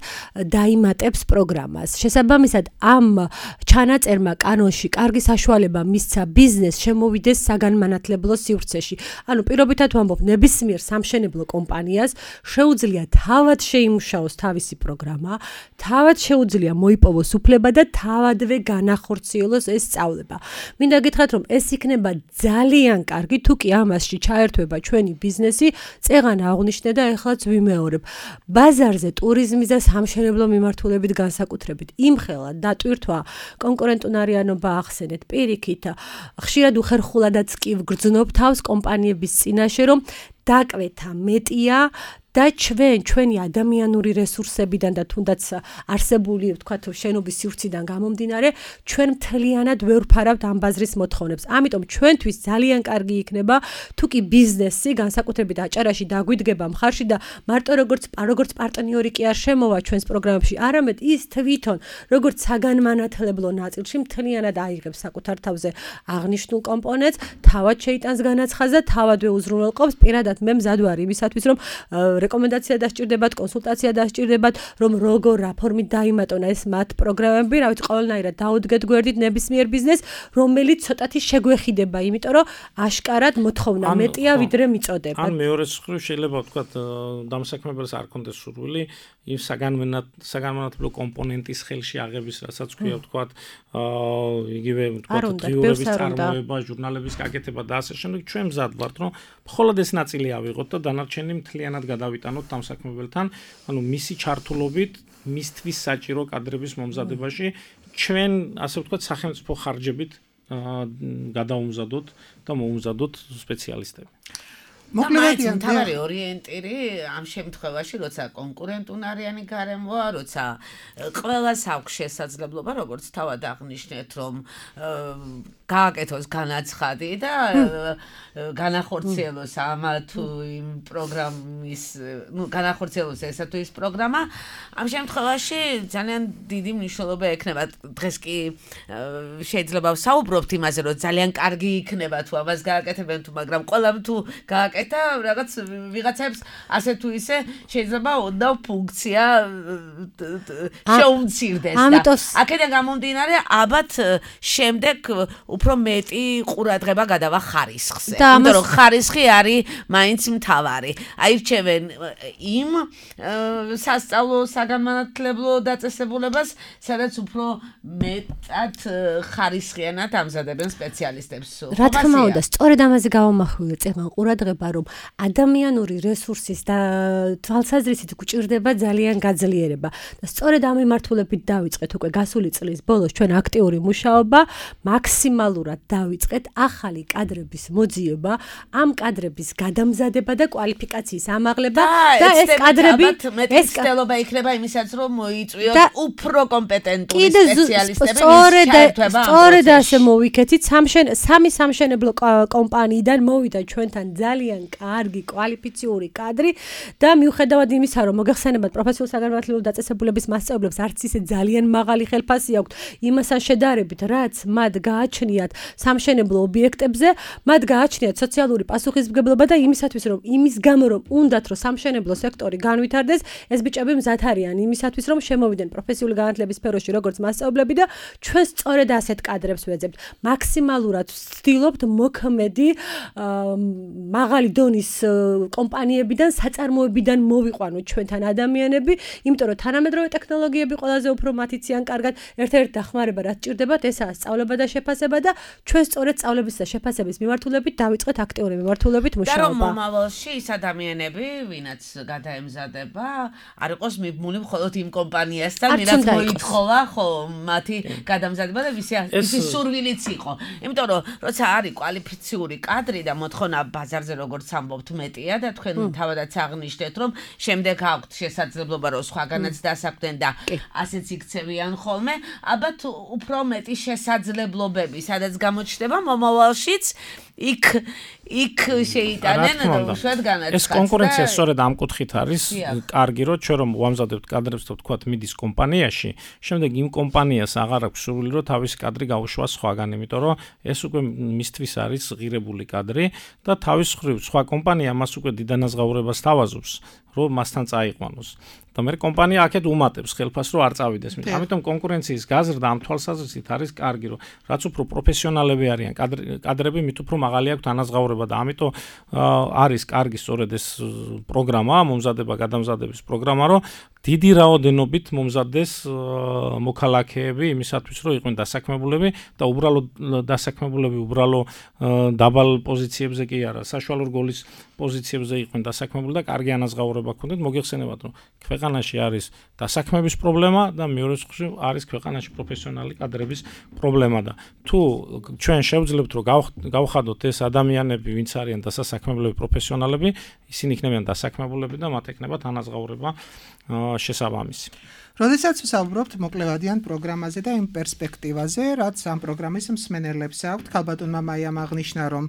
დაიმატებს პროგრამას. შესაბამისად, ამ ჩანაწერმა კანონში კარგი საშუალება მისცა ბიზნესს შემოვიდეს საგანმანათლებლო სივრცეში. ანუ პირობითად ვამბობ, ნებისმიერ სამშენებლო კომპანიას შეუძლია თავად შეიმუშაოს თავისი პროგრამა, თავად შეუძლია მოიპოვოს უფლება და თავადვე განახორციელოს ეს სწავლება. მინდა გითხრათ, რომ ეს იქნება ძალიან კარგი, თუ კი ამასში ჩაერთვება ჩვენი ბიზნესი, წეღან აღნიშნე და ეხლაც ვიმეორებ. ბაზარზე ტურიზმის და სამშენებლო მიმართულებით განსაკუთრებით იმხელა დატვირთვა, კონკურენტუნარიანობა ახსენეთ, პირიქით, ხშირად უხერხულადაც კი ვგრძნობ თავს კომპანიების წინაშე, რომ დაკვეთა მეტია და ჩვენ ჩვენი ადამიანური რესურსებიდან და თუნდაც არსებული, ვთქვათ, შენობის სივრციდან გამომდინარე, ჩვენ მთლიანად ვერ ვფარავთ ამ ბაზრის მოთხოვნებს. ამიტომ ჩვენთვის ძალიან კარგი იქნება, თუ კი ბიზნესი განსაკუთრებით აჭარაში დაგვიდგება მხარში და მარტო როგორც როგორც პარტნიორი კი არ შემოვა ჩვენს პროგრამებში, არამედ ის თვითონ როგორც საგანმანათლებლო ნაწილში მთლიანად აიღებს საკუთარ თავზე აღნიშნულ კომპონენტს, თავად შეიტანს განაცხადს და თავადვე უზრუნველყოფს. პირადად მე მზად ვარ იმისათვის, რომ რეკომენდაცია დასჭირდებათ, კონსულტაცია დასჭირდებათ, რომ როგორ რა ფორმით დაიმატონ ეს მათ პროგრამები, რა ვიცი, ყველანაირად დაუდგეთ გვერდით ნებისმიერ ბიზნესს, რომელიც ცოტათი შეგვეხიდება, იმიტომ რომ აშკარად მოთხოვნა მეტია, ვიდრე მიწოდება. ან მეორე მხრივ შეიძლება ვთქვათ, დამსაქმებელს არ კონდეს სურვილი იმ საგანმანათლებლო კომპონენტის ხელში აღების, რასაც ქვია, ვთქვათ, იგივე ვთქვათ, დღიურების წარმოება, ჟურნალების გაკეთება და ასე შემდეგ. ჩვენ მზად ვართ, რომ მხოლოდ ეს ნაწილი ავიღოთ და დანარჩენი მთლიანად გადავიტანოთ დამსაქმებელთან, ანუ მისი ჩართულობით, მისთვის საჭირო კადრების მომზადებაში, ჩვენ, ასე ვთქვათ, სახელმწიფო ხარჯებით გადაუმზადოთ და მოუმზადოთ სპეციალისტები. მოკლედიან თავარი ორიენტირი ამ შემთხვევაში როცა კონკურენტუნარიანი გარემოა, როცა ყველას აქვს შესაძლებლობა, როგორც თავად აღნიშნეთ, რომ გააკეთოს განაცხადი და განახორციელოს ამა თუ იმ პროგრამის, ну, განახორციელოს ესა თუ ის პროგრამა, ამ შემთხვევაში ძალიან დიდი მნიშვნელობა ექნება. დღეს კი შეიძლება ვსაუბრობთ იმაზე, რომ ძალიან კარგი იქნება თუ ამას გააკეთებენ თუ, მაგრამ ყველამ თუ გააკეთა, რაღაც ვიღაცებს ასე თუ ისე შეიძლება ოდნავ ფუნქცია შეუმცირდეს და აქედან გამომდინარე, ალბათ შემდეგ უფრო მეტი ყურადღება გადავა ხარისხზე. იმიტომ რომ ხარისხი არის მაინც მთავარი. აირჩევენ იმ სასწავლო საგანმანათლებლო დაწესებულებას, სადაც უფრო მეტად ხარისხიანად ამზადებენ სპეციალისტებს. რა თქმა უნდა, სწორედ ამაზე გავამახვილე წეგან ყურადღება, რომ ადამიანური რესურსის და თვალსაზრისით გვჭირდება ძალიან გაძლიერება. და სწორედ ამ მიმართულებით დავიწყეთ უკვე გასული წლის ბოლოს ჩვენ აქტიური მუშაობა, მაქსიმალურად დავიწყეთ ახალი კადრების მოძიება, ამ კადრების გადამზადება და კვალიფიკაციის ამაღლება და ეს კადრები ეს კადრობა იქნება იმისაც, რომ მოიწვიოთ უფრო კომპეტენტური სპეციალისტები. სწორედ ასე მოვიქეთით, სამი სამშენებლო კომპანიიდან მოვიდა ჩვენთან ძალიან კარგი კვალიფიციური კადრი და მიუხედავად იმისა, რომ მოგეხსენებათ პროფესიულ საგანმანათლებლო დაწესებულების მასწავლებლებს არც ისე ძალიან მაღალი ხელფასი აქვთ იმასთან შედარებით, რაც მათ გააჩნიათ სამშენებლო ობიექტებზე, მათ გააჩნიათ სოციალური პასუხისმგებლობა და იმისათვის, რომ იმის გამო რომ უნდათ რომ სამშენებლო სექტორი განვითარდეს, ეს ბიჭები მზად არიან იმისათვის, რომ შემოვიდნენ პროფესიული განათლების სფეროში როგორც მასწავლებლები და ჩვენ სწორედ ასეთ კადრებს ვეძებთ. მაქსიმალურად ვცდილობთ მოქმედი მაღალი დონის კომპანიებიდან, საწარმოებიდან მოვიყვანოთ ჩვენთან ადამიანები, იმიტომ რომ თანამედროვე ტექნოლოგიები ყველაზე უფრო მათიციან კარგად. ერთ-ერთი დახმარება რაც ჭირდებათ, ესაა სწავლება და შეფასება და ჩვენ სწორედ სწავლების და შეფასების მიმართულებით დავიწყეთ აქტიური მიმართულებით მუშაობა. და რომ მომავალში ის ადამიანები, ვინაც გადაემზადება, არ იყოს მიბმული მხოლოდ იმ კომპანიასთან, ვინაც მოითხოვა, ხო, მათი გადამზადება და ვისი სურვილიც იყო. იმიტომ რომ როცა არის კვალიფიციური კადრი და მოთხოვნა ბაზარზე როგორც ამბობთ მეტია და თქვენ თავადაც აღნიშნეთ, რომ შემდეგ აქვთ შესაძლებლობა რომ სხვაგანაც დასაქმდნენ და ასეც იქცევიან ხოლმე, ალბათ უფრო მეტი შესაძლებლობები, სადაც გამოჩნდება მომავალშიც იქ იქ შეიტანენ უშუალოდ განაცხადს. ეს კონკურენცია სწორედ ამ კუთხით არის კარგი, რომ ჩვენ რომ ვამზადებთ კადრებს და ვთქვათ მიდის კომპანიაში, შემდეგ იმ კომპანიას აღარ აქვს სურვილი რომ თავისი კადრი გაუშვას სხვაგან, იმიტომ რომ ეს უკვე მისთვის არის ღირებული კადრი და თავის მხრივ სხვა კომპანია მას უკვე დიდანაზღაურებას თავაზობს, რომ მასთან წაიყვანოს. და მე კომპანია აქეთ უმატებს ხელფასს რომ არ წავიდეს. ამიტომ კონკურენციის გაზრდა ამ თვალსაზრისით არის კარგი, რომ რაც უფრო პროფესიონალები არიან კადრები, მით უფრო მაღალი აქვს თანაზღაურება და ამიტომ არის კარგი სწორედ ეს პროგრამა, მომზადება გადამზადების პროგრამა, რომ დიდი რაოდენობით მომზადდეს მოქალაქეები იმისათვის, რომ იყვნენ დასაქმებულები და უბრალოდ დასაქმებულები უბრალო დაბალ პოზიციებზე კი არა, საშუალო რგოლის პოზიციებზე იყვნენ დასაქმებული და კარგი ანაზღაურება ჰქონდეთ. მოგეხსენებათ, რომ ქვეყანაში არის დასაქმების პრობლემა და მეორე მხრივ არის ქვეყანაში პროფესიონალი კადრების პრობლემა და თუ ჩვენ შევძლებთ, რომ გავხადოთ ეს ადამიანები, ვინც არიან დასაქმებლები პროფესიონალები, ისინი იქნებიან დასაქმებულები და მათ ექნებათ ანაზღაურება შესაბამისი. როდესაც ვსაუბრობთ მოკლევადიან პროგრამაზე და იმ პერსპექტივაზე, რაც ამ პროგრამის მსმენელებს აქვთ, ქალბატონმა მაიამ აღნიშნა, რომ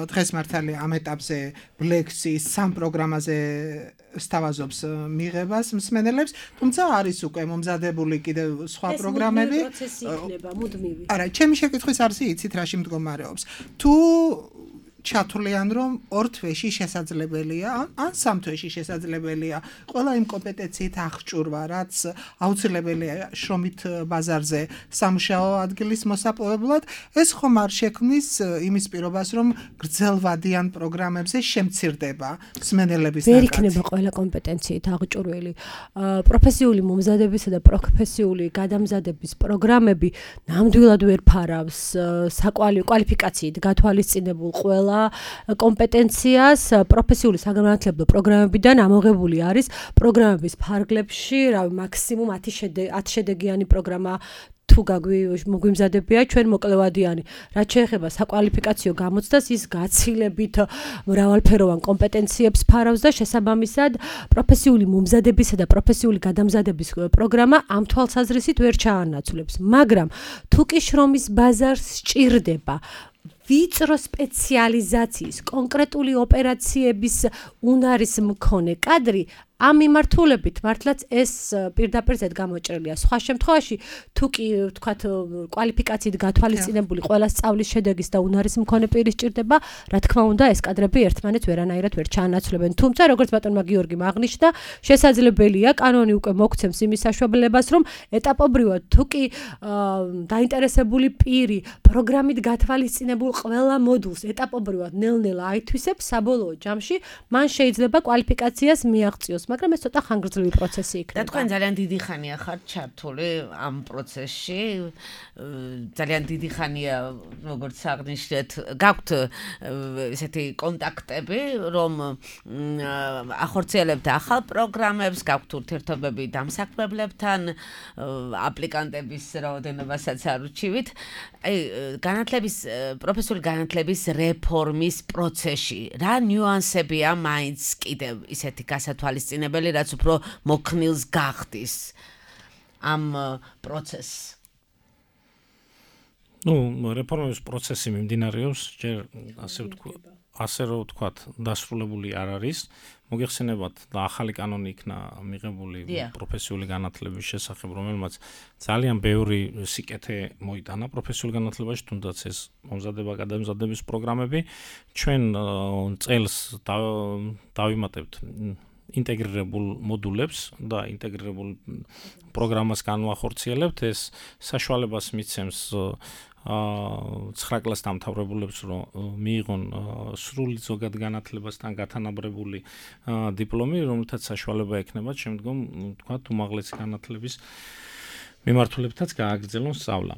დღეს მართალი ამ ეტაპზე ლექციის სამ პროგრამაზე სთავაზობს მიღებას მსმენელებს, თუმცა არის უკვე მომზადებული კიდევ სხვა პროგრამები. ეს პროცესი იქნება მუდმივი. არა, ჩემი შეკითხვის არსი იცით რაში მდგომარეობს. თუ ჩათვლიან, რომ ორ თვეში შესაძლებელია, ან სამ თვეში შესაძლებელია ყველა იმ კომპეტენციით აღჭურვა, რაც აუცილებელია შრომით ბაზარზე სამუშაო ადგილის მოსაპოვებლად, ეს ხომ არ შექმნის იმის პირობას, რომ გრძელვადიან პროგრამებზე შემცირდება მსმენელების ნაკადი. ვერ იქნება ყველა კომპეტენციით აღჭურვილი. პროფესიული მომზადებისა და პროფესიული გადამზადების პროგრამები ნამდვილად ვერ ფარავს საკვალიფიკაციით გათვალისწინებულ ყველა კომპეტენციას. პროფესიული საგანმანათლებლო პროგრამებიდან ამოღებული არის პროგრამების ფარგლებში, რავი, მაქსიმუმ ათი შედეგიანი პროგრამა თუ თუ მოგვიმზადებია ჩვენ მოკლევადიანი რაც შეეხება საკვალიფიკაციო გამოცდას ის გაცილებით მრავალფეროვან კომპეტენციებს ფარავს და შესაბამისად პროფესიული მომზადებისა და პროფესიული გადამზადების პროგრამა ამ თვალსაზრისით ვერ ჩაანაცვლებს მაგრამ თუ კი შრომის ბაზარს სჭირდება ვიწრო სპეციალიზაციის კონკრეტული ოპერაციების უნარის მქონე კადრი ამ მიმართულებით მართლაც ეს პირდაპირ გამოჭრილია. სხვა შემთხვევაში თუ კი ვთქვათ კვალიფიკაციით გათვალისწინებული ყველა სწავლის შედეგის და უნარის მქონე პირის სჭირდება, რა თქმა უნდა ეს კადრები ერთმანეთს ვერანაირად ვერ ჩაანაცვლებენ. თუმცა როგორც ბატონმა გიორგიმ აღნიშნა, შესაძლებელია კანონი უკვე მოგცემს იმის საშუალებებას, რომ ეტაპობრივად თუ კი დაინტერესებული პირი პროგრამით გათვალისწინებულ ყველა მოდულს ეტაპობრივად ნელ-ნელა აითვისებს, საბოლოო ჯამში მან შეიძლება კვალიფიკაციას მიაღწიოს. მაგრამ ეს ცოტა ხანგრძლივი პროცესი იქნება. და თქვენ ძალიან დიდი ხანია ხართ ჩართული ამ პროცესში. ძალიან დიდი ხანია, როგორც აღნიშნეთ, გაქვთ ესეთი კონტაქტები, რომ ახორციელებთ ახალ პროგრამებს, გაქვთ ურთიერთობები დამსაქმებლებთან, აპლიკანტების რაოდენობასაც არ უჩივით. აი, განათლების პროფესიული განათლების რეფორმის პროცესში რა ნიუანსებია მაინც კიდევ ისეთი გასათვალისწინებელი რაც უფრო მოქნილს გახდის ამ პროცესს. ნუ რეფორმების პროცესი მიმდინარეობს, ჯერ ასე ვთქვათ, ასე რომ ვთქვათ, დასრულებული არ არის. მოგეხსენებათ და ახალი კანონი იქნა მიღებული პროფესიული განათლების შესახებ, რომელმაც ძალიან ბევრი სიკეთე მოიტანა პროფესიულ განათლებაში, თუნდაც ეს მომზადება გადამზადების პროგრამები. ჩვენ წელს დავიმატებთ ინტეგრირებულ მოდულებს და ინტეგრირებულ პროგრამას განვახორციელებთ. ეს საშუალებას მიცემს ცხრა კლასს დამთავრებულებს, რომ მიიღონ სრული ზოგად განათლებასთან გათანაბრებული დიპლომი, რომელთაც საშუალება ექნებათ შემდგომ, თქვათ, უმაღლესი განათლების მიმართულებითაც გააგრძელონ სწავლა.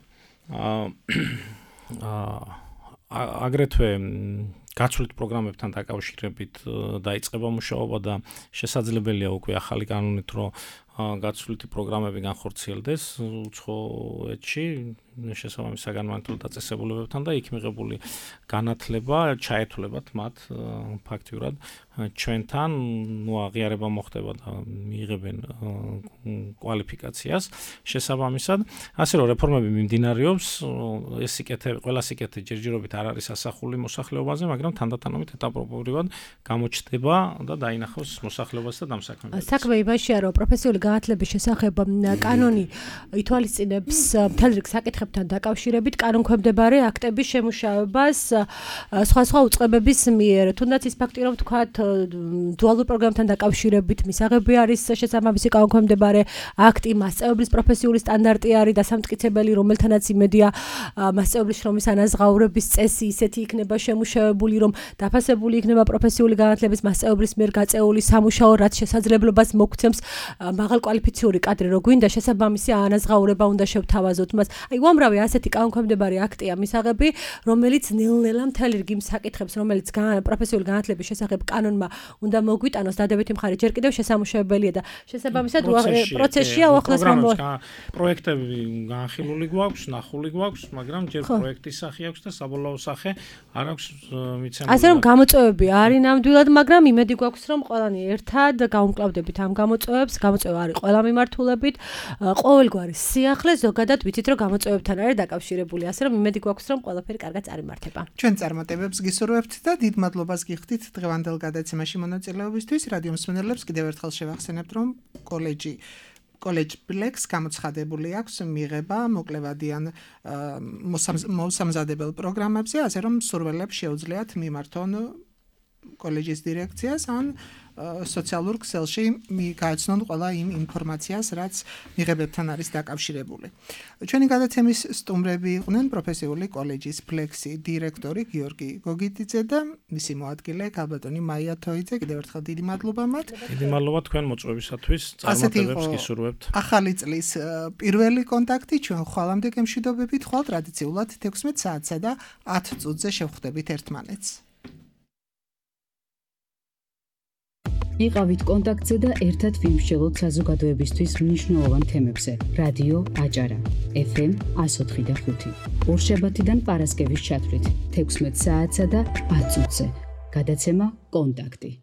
აგრეთვე გაცვლით პროგრამებთან დაკავშირებით დაიწყება მუშაობა და შესაძლებელია უკვე ახალი კანონით, რომ გაცვლითი პროგრამები განხორციელდეს უცხოეთში შესაბამის საგანმანათლებლო დაწესებულებებთან და იქ მიღებული განათლება ჩაეთვლებათ მათ ფაქტიურად ჩვენთან, ნუ აღიარება მოხდება და მიიღებენ კვალიფიკაციას შესაბამისად. ასე რომ რეფორმები მიმდინარეობს, ეს სიკეთე, ყველა სიკეთე ჯერჯერობით არ არის ასახული მოსახლეობაზე, მაგრამ თანდათანობით ეტაპობრივად გამოჩნდება და დაინახავს მოსახლეობას და დამსაქმებელს. საქმე იმაშია, რომ პროფესიული განათლების შესახებ კანონი ითვალისწინებს მთელ რიგ საკითხებთან დაკავშირებით კანონქვემდებარე აქტების შემუშავებას სხვა-სხვა უწყებების მიერ. თუნდაც ის ფაქტი, რომ თქვათ დუალურ პროგრამთან დაკავშირებით მისაღები არის შესაბამისი კანონქვემდებარე აქტი, მასწავლებლის პროფესიული სტანდარტი არის დასამტკიცებელი, რომელთანაც იმედია მასწავლებლის შრომის ანაზღაურების წესი ისეთი იქნება შემუშავებული, რომ დაფასებული იქნება პროფესიული განათლების მასწავლებლის მიერ გაწეული სამუშაო, რაც შესაძლებლობას მოგცემს მაღალკვალიფიციური კადრი რო გვინდა შესაბამისი ანაზღაურება უნდა შევთავაზოთ მას. აი უამრავი ასეთი კანონქვემდებარე აქტია მისაღები, რომელიც ნელ-ნელა მთელი რიგი საკითხებს, რომელიც პროფესიული განათლების შესახებ კანონმა უნდა მოგვიტანოს, დადებითი მხარე ჯერ კიდევ შესამუშავებელია და შესაბამისად პროცესშია უახლოს მომო. პროექტები განხილული გვაქვს, ნახული გვაქვს, მაგრამ ჯერ პროექტის სახე აქვს და საბოლოო სახე არ აქვს მიცემული. ასე რომ გამოწვევები არის ნამდვილად, მაგრამ იმედი გვაქვს, რომ ყველანი ერთად გავუმკლავდებით ამ გამოწვევებს. გამოწვევა არის ყველა მიმართულებით, ყოველგვარი სიახლე ზოგადად ვიცით, რომ გამოწვევებთან არის დაკავშირებული, ასე რომ იმედი გვაქვს, რომ ყველაფერი კარგად წარიმართება. ჩვენ წარმატებებს გისურვებთ და დიდ მადლობას გიხდით დღევანდელ გადაცემაში მონაწილეობისთვის. რადიო მსმენელებს კიდევ ერთხელ შევახსენებთ, რომ კოლეჯი კოლეჯ ბლექს გამოცხადებული აქვს მიღება მოკლევადიან მოსამზადებელ პროგრამებზე, ასე რომ მსურველებს შეუძლიათ მიმართონ კოლეჯის დირექციას ან სოციალურ ქსელში გააცნონ ყველა იმ ინფორმაციას, რაც მიღებებთან არის დაკავშირებული. ჩვენი გადაცემის სტუმრები იყვნენ პროფესიული კოლეჯის ფლექსი დირექტორი გიორგი გოგიტიძე და მისი მოადგილე ქალბატონი მაია თოიძე. კიდევ ერთხელ დიდი მადლობა მათ. დიდი მადლობა თქვენ მოწვევისათვის. წარმატებებს გისურვებთ. ახალი წლის პირველი კონტაქტი ჩვენ ხვალამდე გემშვიდობებით, ხვალ ტრადიციულად თექვსმეტ საათსა და ათ წუთზე შევხვდებით ერთმანეთს. იყავით კონტაქტზე და ერთად ვიმსჯელოთ საზოგადოებისთვის მნიშვნელოვან თემებზე. რადიო აჭარა, ეფ ემ one oh four და five. ორშაბათიდან პარასკევის ჩათვლით, თექვსმეტ საათსა და ათ წუთზე. გადაცემა კონტაქტი.